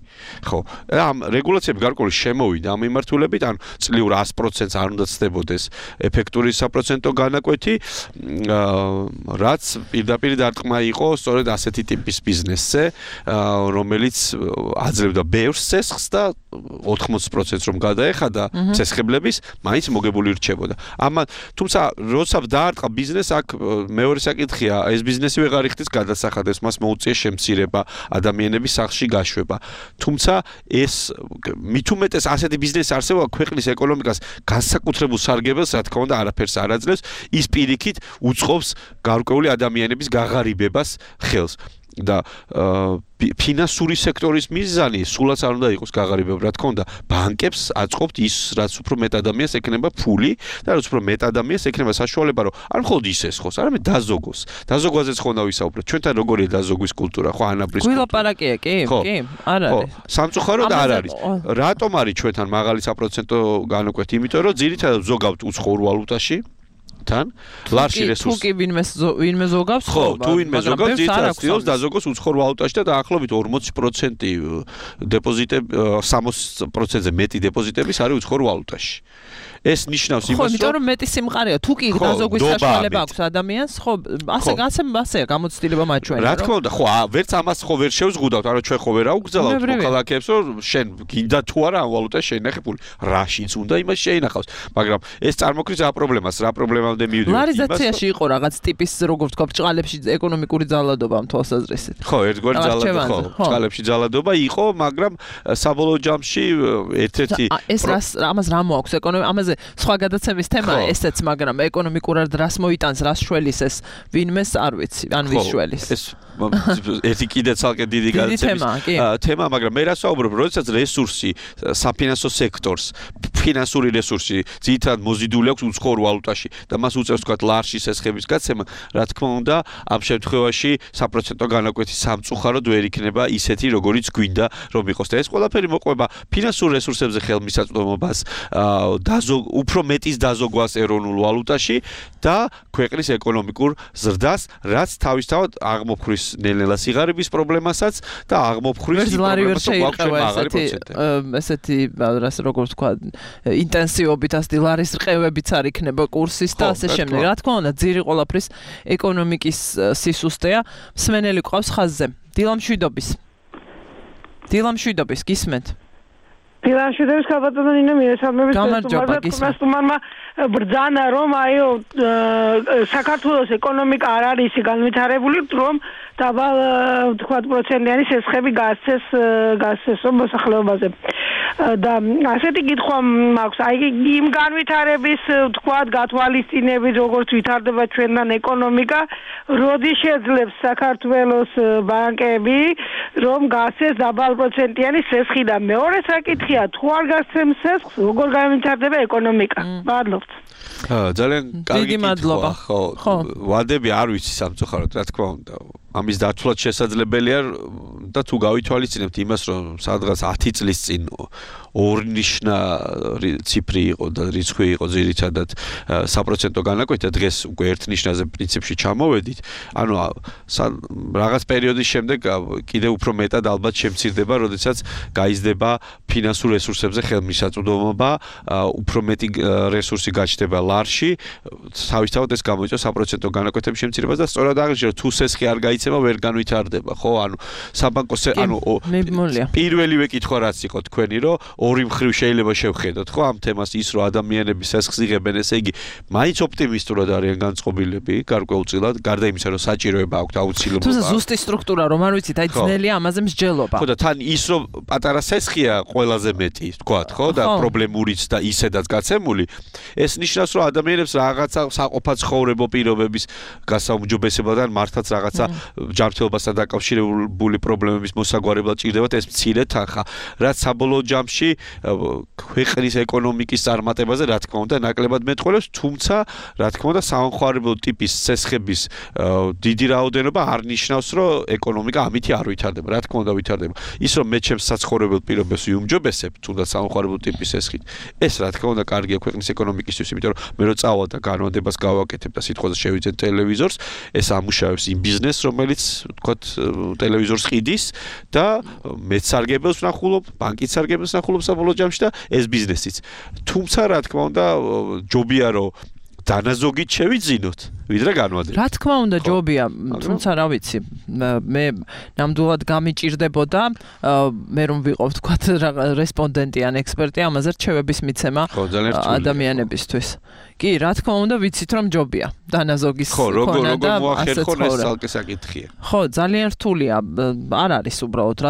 ხო ამ რეგულაციები გარკვეული შემოვიდა ამ მიმართულებით ან წლიურ 100%-ს არ უნდა ცდებოდეს ეფექტური საპროცენტო განაკვეთი რაც პირდაპირ დარტყმა იყო სწორედ ასეთი ტიპის ბიზნესზე რომელიც აძლევდა ბევრ სესხს და 80%-ს რომ გადაეხადა სესხებლების მაინც მოგებული რჩებოდა. თუმცა როცა დაარტყა ბიზნესს აქ მეორე საკითხია ეს ბიზნესი ვეღარ იხდის გადასახადებს მას მოუწია შემცირება ადამიანების სახლში გაშვება. თუმცა ეს მით უმეტეს ასეთი ბიზნესი არსებობა ქვეყნის ეკონომიკას განსაკუთრებულ სარგებელს რა თქმა უნდა არაფერს არ აძლევს ის პირიქით უწყობს გარკვეული ადამიანების გაღარიბებას ხელს. და ფინანსური სექტორის მიზანი სულაც არ უნდა იყოს გაღარიბება, რა თქმა უნდა, ბანკებს აწყობთ ის, რაც უფრო მეტ ადამიანს ექნება ფული და რაც უფრო მეტ ადამიანს ექნება საშუალება, რომ არ მხოლოდ ის ესხოს, არამედ დაზოგოს. დაზოგვაზეც ხონდა ვისაუბროთ. ჩვენთან როგორია დაზოგვის კულტურა, ხო, ანაბრის კულტურა. გვილაპარაკია, კი, არ არის. ხო, სამწუხაროდ არ არის. რატომ არის ჩვენთან მაღალი საპროცენტო განაკვეთი? იმიტომ რომ ძირითადად ზოგავთ უცხოურ ვალუტაში. ლარში რესურსი. თუ კი ვინმე ზოგავს, ხო, თუ ვინმე ზოგავს, ძირითადად დაზოგოს უცხოურ ვალუტაში და დაახლოებით 40% დეპოზიტები 60%-ზე მეტი დეპოზიტების არის უცხოურ ვალუტაში. ეს ნიშნავს იმას, რომ იმიტომ რომ მეტი სიმყარეა, თუ კი დაზოგვის საშუალება აქვს ადამიანს, ხო, ასეა გამოცდილება მათ ჩვენ. რა თქმა უნდა, ხო, ვერც ამას ხო ვერ შევზღუდავთ, არა ჩვენ ხო ვერ აუგზავნებთ მოქალაქეებს, რომ შენ გინდა თუ არა ამ ვალუტაში შეინახე ფული, რაშიც უნდა იმას შეინახავს, მაგრამ ეს წარმოქმნის რა პრობლემას, რა პრობლემამდე მივიდივართ. ლარიზაციაში იყო რაღაც ტიპის, როგორ ვთქვა, ბჭყალებში ეკონომიკური ძალადობა ამ თვალსაზრისით. ხო, ერთგვარი ძალადობა, ხო, ბჭყალებში ძალადობა იყო, მაგრამ საბოლოო ჯამში ერთ-ერთი ეს ამას რა მოაქვს ეკონომიკა სხვა გადაცემის თემა ესეც, მაგრამ ეკონომიკურად რას მოიტანს, რას შველის ეს ვინმეს არ ვიცი, ან ვის შველის. ეს ერთი კიდე ცალკე დიდი გადაცემის თემა, მაგრამ მე რას ვაუბრობ, როდესაც რესურსი საფინანსო სექტორს, ფინანსური რესურსი ძირითადად მოზიდული აქვს უცხოურ ვალუტაში და მას უწევს თქვა ლარში სესხების გაცემა, რა თქმა უნდა, ამ შემთხვევაში საპროცენტო განაკვეთი სამწუხაროდ ვერ იქნება ისეთი, როგორიც გვინდა რომ იყოს და ეს ყველაფერი მოყვება ფინანსურ რესურსებზე ხელმისაწვდომობას, უფრო მეტის დაზოგვას ეროვნულ ვალუტაში და ქვეყნის ეკონომიკურ ზრდას, რაც თავისთავად აღმოფხრის ნელ-ნელა სიღარიბის პრობლემასაც და აღმოფხრის ესეთი რას როგორ ვთქვა ინტენსივობით ასეთი ლარის რყევებიც არ იქნება კურსის და ასე შემდეგ. რა თქმა უნდა, ძირი ყველაფრის ეკონომიკის სისუსტეა. მსმენელი ყავს ხაზზე. დილამშვიდობის გისმენთ? დილამშვიდობის ქალბატონო ნინო მიესალმებით სტუმარმა ბრძანა რომ საქართველოს ეკონომიკა არ არის განვითარებული რომ დაბალ თქვა პროცენტიანი სესხები გასცეს მოსახლეობაზე და ასეთი კითხვა მაქვს იმ განვითარების თქვა გათვალისწინებით როგორც ვითარდება ჩვენთან ეკონომიკა როდის შეძლებს საქართველოს ბანკები რომ გასცეს დაბალ პროცენტიანი სესხი და მეორე საკითხია თუ არ გასცემს სესხს როგორ განვითარდება ეკონომიკა მადლობთ ძალიან დიდი მადლობა ხო ვადები არ ვიცი სამწუხაროდ რა თქმა უნდა ამის დათვლაც შესაძლებელია და თუ გავითვალისწინებთ იმას რომ სადღაც 10 წლის წინ ორნიშნა ციფრი იყო და რიცხვი იყო ძირითადად საპროცენტო განაკვეთი დღეს უკვე ერთნიშნაზე პრინციპში ჩამოვედით ანუ რაღაც პერიოდის შემდეგ კიდევ უფრო მეტად ალბათ შემცირდება როდესაც გაიზრდება ფინანსურ რესურსებზე ხელმისაწვდომობა უფრო მეტი რესურსი გაჩნდება ლარში თავისთავად ეს გამოიწვევს საპროცენტო განაკვეთების შემცირებას და სწორად აღნიშნე თუ სესხი არ გაიცემა ვერ განვითარდება ხო ანუ საბანკო პირველივე კითხვა რაც იყო თქვენი რომ ორი მხრივ შეიძლება შევხედოთ ხო ამ თემას ის რომ ადამიანები სესხს იღებენ ესე იგი მაინც ოპტიმისტურად არიან განწყობილები გარკვეულწილად გარდა იმისა რომ საჭიროება აქვთ აუცილებლობა თუმცა ზუსტი სტრუქტურა რომ არ ვიცით აი ძნელია ამაზე მსჯელობა ხო და თან ის რომ პატარა სესხია ყველაზე მეტი თქვათ ხო და პრობლემურიც და ისედაც გაცემული ეს ნიშნავს რომ ადამიანებს რაღაცა საყოფა ცხოვრებო პირობების გასაუმჯობესებიდან მართლაც რაღაცა ჯანმრთელობასთან დაკავშირებული პრობლემა პრობლემების მოსაგვარებლად ჭირდებათ ეს მცირე თანხა, რაც საბოლოო ჯამში ქვეყნის ეკონომიკის წარმატებაზე რა თქმა უნდა ნაკლებად მეტყველებს, თუმცა რა თქმა უნდა სამხარებლო ტიპის ცესხების დიდი რაოდენობა არ ნიშნავს, რომ ეკონომიკა ამითი არ ვითარდება. რა თქმა უნდა ვითარდება. ის რომ მე ჩემს საცხოვრებელ პირობებს ვიუმჯობესებ, თუნდაც სამხარებლო ტიპის ცესხით, ეს რა თქმა უნდა კარგია ქვეყნის ეკონომიკისთვის, იმიტომ რომ მე რო წავალ და განმადებას გავაკეთებ და სიტყვაზე შევიძენ ტელევიზორს, ეს ამუშავებს იმ ბიზნესს, რომელიც ვთქვათ ტელევიზორს ყიდის და მეც სარგებელს ვნახულობ, ბანკიც სარგებელს ვნახულობ საბოლოო ჯამში და ეს ბიზნესიც. თუმცა რა თქმა უნდა ჯობია რომ დანაზოგით შევიძინოთ, ვიდრე განვადებით. რა თქმა უნდა ჯობია, თუმცა რა ვიცი, მე ნამდვილად გამიჭირდებოდა მე რომ ვიყავ თქვათ რესპონდენტი ან ექსპერტი ამაზე რჩევების მიცემა ადამიანებისთვის. კი, რა თქმა უნდა ვიცით რომ ჯობია დანაზოგის ქონა და ასე ხო ეს ცალკე საკითხია. ხო, ძალიან რთულია, არ არის უბრალოდ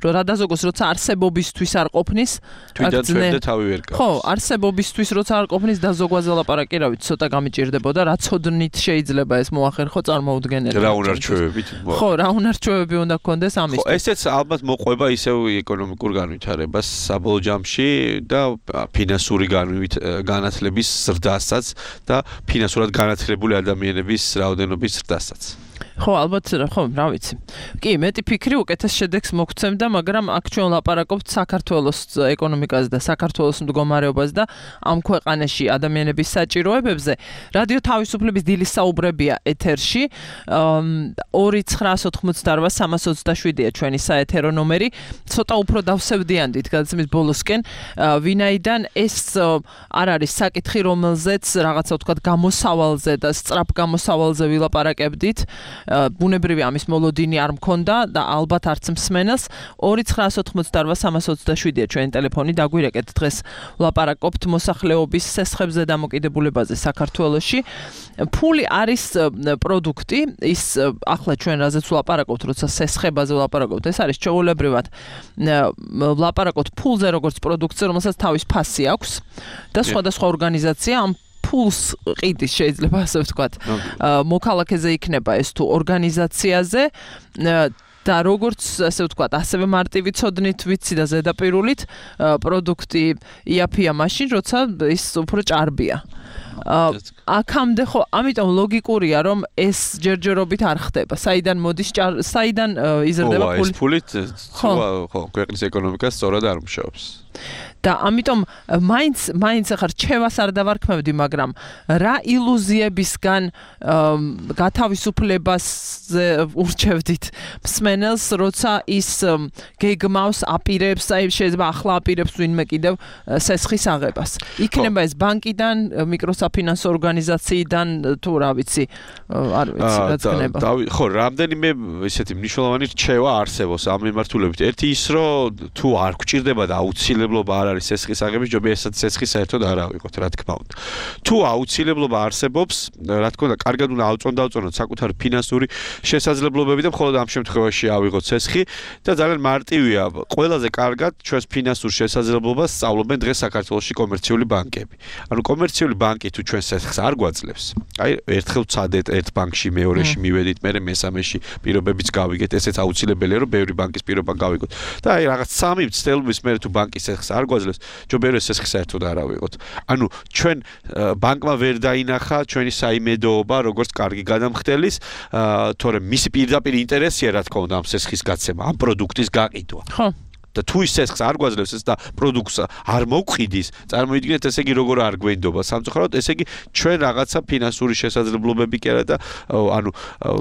რადაზოგოს როცა არსებობისთვის არ ყოფნის, თვითონ ჩვენდე თავი ვერ გავს. ხო, არსებობისთვის როცა არ ყოფნის დაზოგვაზე ლაპარაკი, რა ვიცი, ცოტა გამიჭირდებოდა, რა ცოდნით შეიძლება ეს მოახერხო წარმოუდგენელი. რა უნარჩვევებით? ხო, რა უნარჩვევები უნდა გქონდეს ამისთვის. ხო, ესეც ალბათ მოყვება ისევ ეკონომიკურ განვითარებას საბოლოო ჯამში და ფინანსური განათლების ზრდასაც და ფინანსურად განათლებული ადამიანების რაოდენობის ზრდასაც. ხო, ალბათ, ხო, რა ვიცი. კი, მეტი ფიქრი უკეთეს შედეგს მოგცემდა, მაგრამ აქ ჩვენ ლაპარაკობთ საქართველოს ეკონომიკაზე და საქართველოს მდგომარეობაზე და ამ ქვეყანაში ადამიანების საჭიროებებზე. რადიო თავისუფლების დილის საუბრებია ეთერში. 2988327-ია ჩვენი საეთერო ნომერი. ცოტა უფრო დავსევდიანდით გადაცემის ბოლოსკენ, ვინაიდან ეს არ არის საკითხი, რომელზეც რაღაცა ვთქვათ გამოსავალზე და სწრაფ გამოსავალზე ვილაპარაკებდით. ბუნებრივი ამის მოლოდინი არ მქონდა და ალბათ არც მსმენელს. 2988327-ია ჩვენი ტელეფონი, დაგვირეკეთ დღეს ვლაპარაკობთ მოსახლეობის სესხებზე დამოკიდებულებაზე საქართველოში. ფული არის პროდუქტი, ის ახლა ჩვენ რაზეც ვლაპარაკობთ, როცა სესხებაზე ვლაპარაკობთ, ეს არის ჩვეულებრივად ვლაპარაკობთ ფულზე როგორც პროდუქტზე, რომელსაც თავის ფასი აქვს და სხვადასხვა ორგანიზაცია ამ ფულს ყიდის, შეიძლება ასე ვთქვათ. მოქალაქეზე იქნება ეს თუ ორგანიზაციაზე და როგორც ასე ვთქვათ, ასევე მარტივი ცოდნით ვიცი და ზედაპირულით პროდუქტი იაფია მაშინ, როცა ის უფრო ჭარბია. აქამდე ხო, ამიტომ ლოგიკურია, რომ ეს ჯერჯერობით არ ხდება. საიდან მოდის საიდან იზრდება ფული? ეს ფულით ხო, ქვეყნის ეკონომიკას სწორად არ მუშაობს. და ამიტომ მაინც ახლა რჩევას არ დავარქმევდი, მაგრამ რა ილუზიებისგან გათავისუფლებას ურჩევდით მსმენელს, როცა ის გეგმავს, აპირებს, აი შეიძლება ახლა აპირებს ვინმე კიდევ სესხის აღებას. იქნება ეს ბანკიდან, მიკროსაფინანსო ორგანიზაციიდან, თუ რა ვიცი, არ ვიცი, რაც ხდება. ხო, რამდენიმე ესეთი მნიშვნელოვანი რჩევა არსებობს ამ მიმართულებით. ერთი ის, რომ თუ არ გვჭირდება და აუცილებლობა არ არის სესხის აღების, ჯობია ესეც სესხი საერთოდ არ ავიღოთ, რა თქმა უნდა. თუ აუცილებლობა არსებობს, რა თქმა უნდა, კარგად უნდა ავწონდავწონოთ საკუთარი ფინანსური შესაძლებლობები და მხოლოდ ამ შემთხვევაში ავიღოთ სესხი და ძალიან მარტივია. ყველაზე კარგად ჩვენს ფინანსურ შესაძლებლობას სწავლობენ დღეს საქართველოში კომერციული ბანკები. ანუ კომერციული ბანკი თუ ჩვენ სესხს არ გვაძლევს, აი ერთხელ ვცადეთ ერთ ბანკში, მეორეში მივედით, მერე მესამეში პირობებიც გავიგეთ, ესეც აუცილებელია, რომ ბევრი ბანკის პირობა გავიგოთ. და აი რაღაც სამი მცდელობის მერე თუ ბანკი სესხს არ გვაძლევს, ჯობია რომ სესხი საერთოდ არ ავიღოთ. ანუ ჩვენ ბანკმა ვერ დაინახა ჩვენი საიმედოობა, როგორც კარგი გადამხდელის, თორემ მისი პირდაპირ ინტერესია, რა თქმა უნდა, ამ სესხის გაცემა, ამ პროდუქტის გაყიდვა. ხო. და თუ ის სესხს არ გვაძლევს ეს და პროდუქტს არ მოვყიდის, წარმოიდგინეთ, ესე იგი როგორ არ გვენდობა სამწუხაროდ, ესე იგი ჩვენ რაღაცა ფინანსური შესაძლებლობები კი არა და ანუ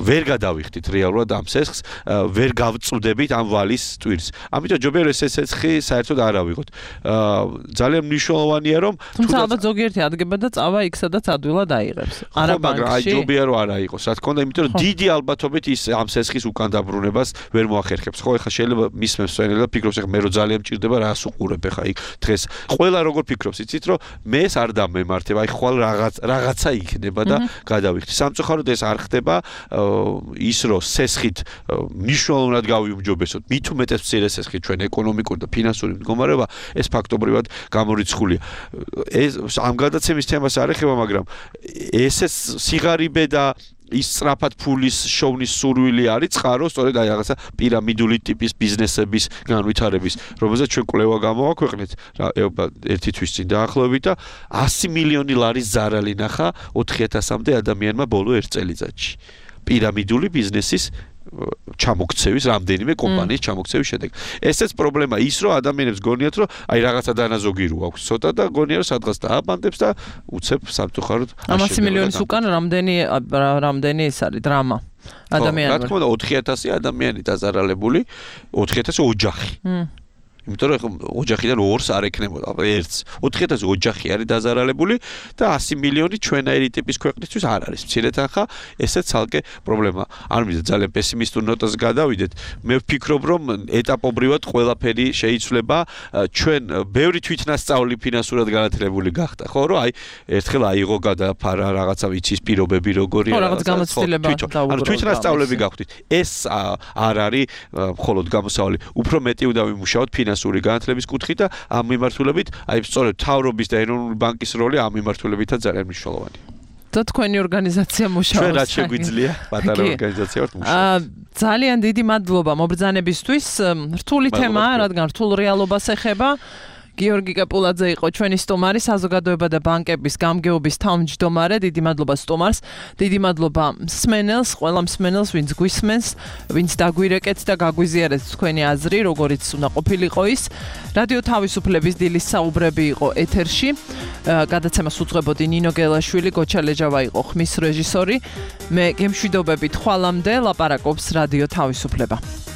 ვერ გადავიხდით რეალურად ამ სესხს, ვერ გავწუდებით ამ ვალის ტვირს. ამიტომ ჯობია რომ ეს სესხი საერთოდ არ ავიღოთ. ძალიან მნიშვნელოვანია რომ თუმცა ალბათ ზოგიერთი ადგება და წავა იქ სადაც ადვილად აიღებს. არა ბანკში. მაგრამ აი ჯობია რომ არ აიღოს, რა თქმა უნდა, იმიტომ რომ დიდი ალბათობით ის ამ სესხის უკან დაბრუნებას ვერ მოახერხებს. ხო, ეხლა შეიძლება მისმენს სვენელი და ფიქრობს მე რო ძალიან მჭირდება რას უყურებ ხა იქ დღეს ყველა როგორ ფიქრობს იცით რომ მე ეს არ დამემართება აი ხვალ რაღაცა იქნება და გადავიხდი სამწუხაროდ ეს არ ხდება ის რომ სესხით მნიშვნელოვნად გავიუმჯობესოთ მით უმეტეს მცირე სესხით ჩვენ ეკონომიკური და ფინანსური მდგომარეობა ეს ფაქტობრივად გამორიცხულია ეს ამ გადაცემის თემას არ ეხება მაგრამ ეს სიღარიბე და ის სწრაფად ფულის შოვნის სურვილი არის წყარო სწორედ აი რაღაცა პირამიდული ტიპის ბიზნესების განვითარების, რომელზეც ჩვენ კვლევა გამოვაქვეყნეთ ერთი თვის წინ დაახლოებით და 100 მილიონი ლარის ზარალი ნახა 4000-მდე ადამიანმა ბოლო 1 წელიწადში. პირამიდული ბიზნესის ჩამოქცევის რამდენიმე კომპანიის ჩამოქცევის შედეგ. ესეც პრობლემა ის რომ ადამიანებს გონიათ რომ აი რაღაცა დანაზოგი რო აქვს ცოტა და გონია რომ სადღაც დააბანდებს და უცებ სამწუხაროდ 100 მილიონის უკან რამდენი ეს არის დრამა ადამიანები. რა თქმა უნდა 4000 ადამიანი დაზარალებული 4000 ოჯახი. იმიტომ რომ ოჯახიდან 2-ს არ ეკნებოდა, ერთს. 4000 ოჯახი არის დაზარალებული და 100 მილიონი ჩვენაირი ტიპის ქვეყნისთვის არ არის. მცირე თანხა, ესეც ცალკე პრობლემა. არ მინდა ძალიან პესიმისტურ ნოტას გადავიდეთ. მე ვფიქრობ, რომ ეტაპობრივად ყველაფერი შეიცვლება. ჩვენ ბევრი თვითნასწავლი ფინანსურად განათლებული გახდა, ხო, რომ აი ერთხელ აიღო გადაფარა რაღაცა ვიცის პირობები როგორია. ხო, რაღაც გამოცდილება დაუბრუნდა. ანუ თვითნასწავლები გახვდით. ეს არ არის მხოლოდ გამოსავალი. უფრო მეტი უნდა ვიმუშაოთ ფინანსური განათლების კუთხით და ამ მიმართულებით, აი სწორედ მთავრობის და ეროვნული ბანკის როლი ამ მიმართულებითაც ძალიან მნიშვნელოვანია. და თქვენი ორგანიზაცია მუშაობს. ჩვენ რაც შეგვიძლია, პატარა ორგანიზაცია ვართ მუშაობთ. ძალიან დიდი მადლობა მობრძანებისთვის. რთული თემაა, რადგან რთულ რეალობას ეხება. გიორგი კაპულაძე იყო ჩვენი სტუმარი, საზოგადოება და ბანკების გამგეობის თავმჯდომარე. დიდი მადლობა სტუმარს, დიდი მადლობა მსმენელს, ყველა მსმენელს, ვინც გვისმენს, ვინც დაგვირეკეთ და გაგვიზიარეთ თქვენი აზრი, როგორიც უნდა ყოფილიყო ის. რადიო თავისუფლების დილის საუბრები იყო ეთერში. გადაცემას უძღვებოდი ნინო გელაშვილი, გოჩა ლეჯავა იყო ხმის რეჟისორი. მე გემშვიდობებით ხვალამდე ლაპარაკობს რადიო თავისუფლება.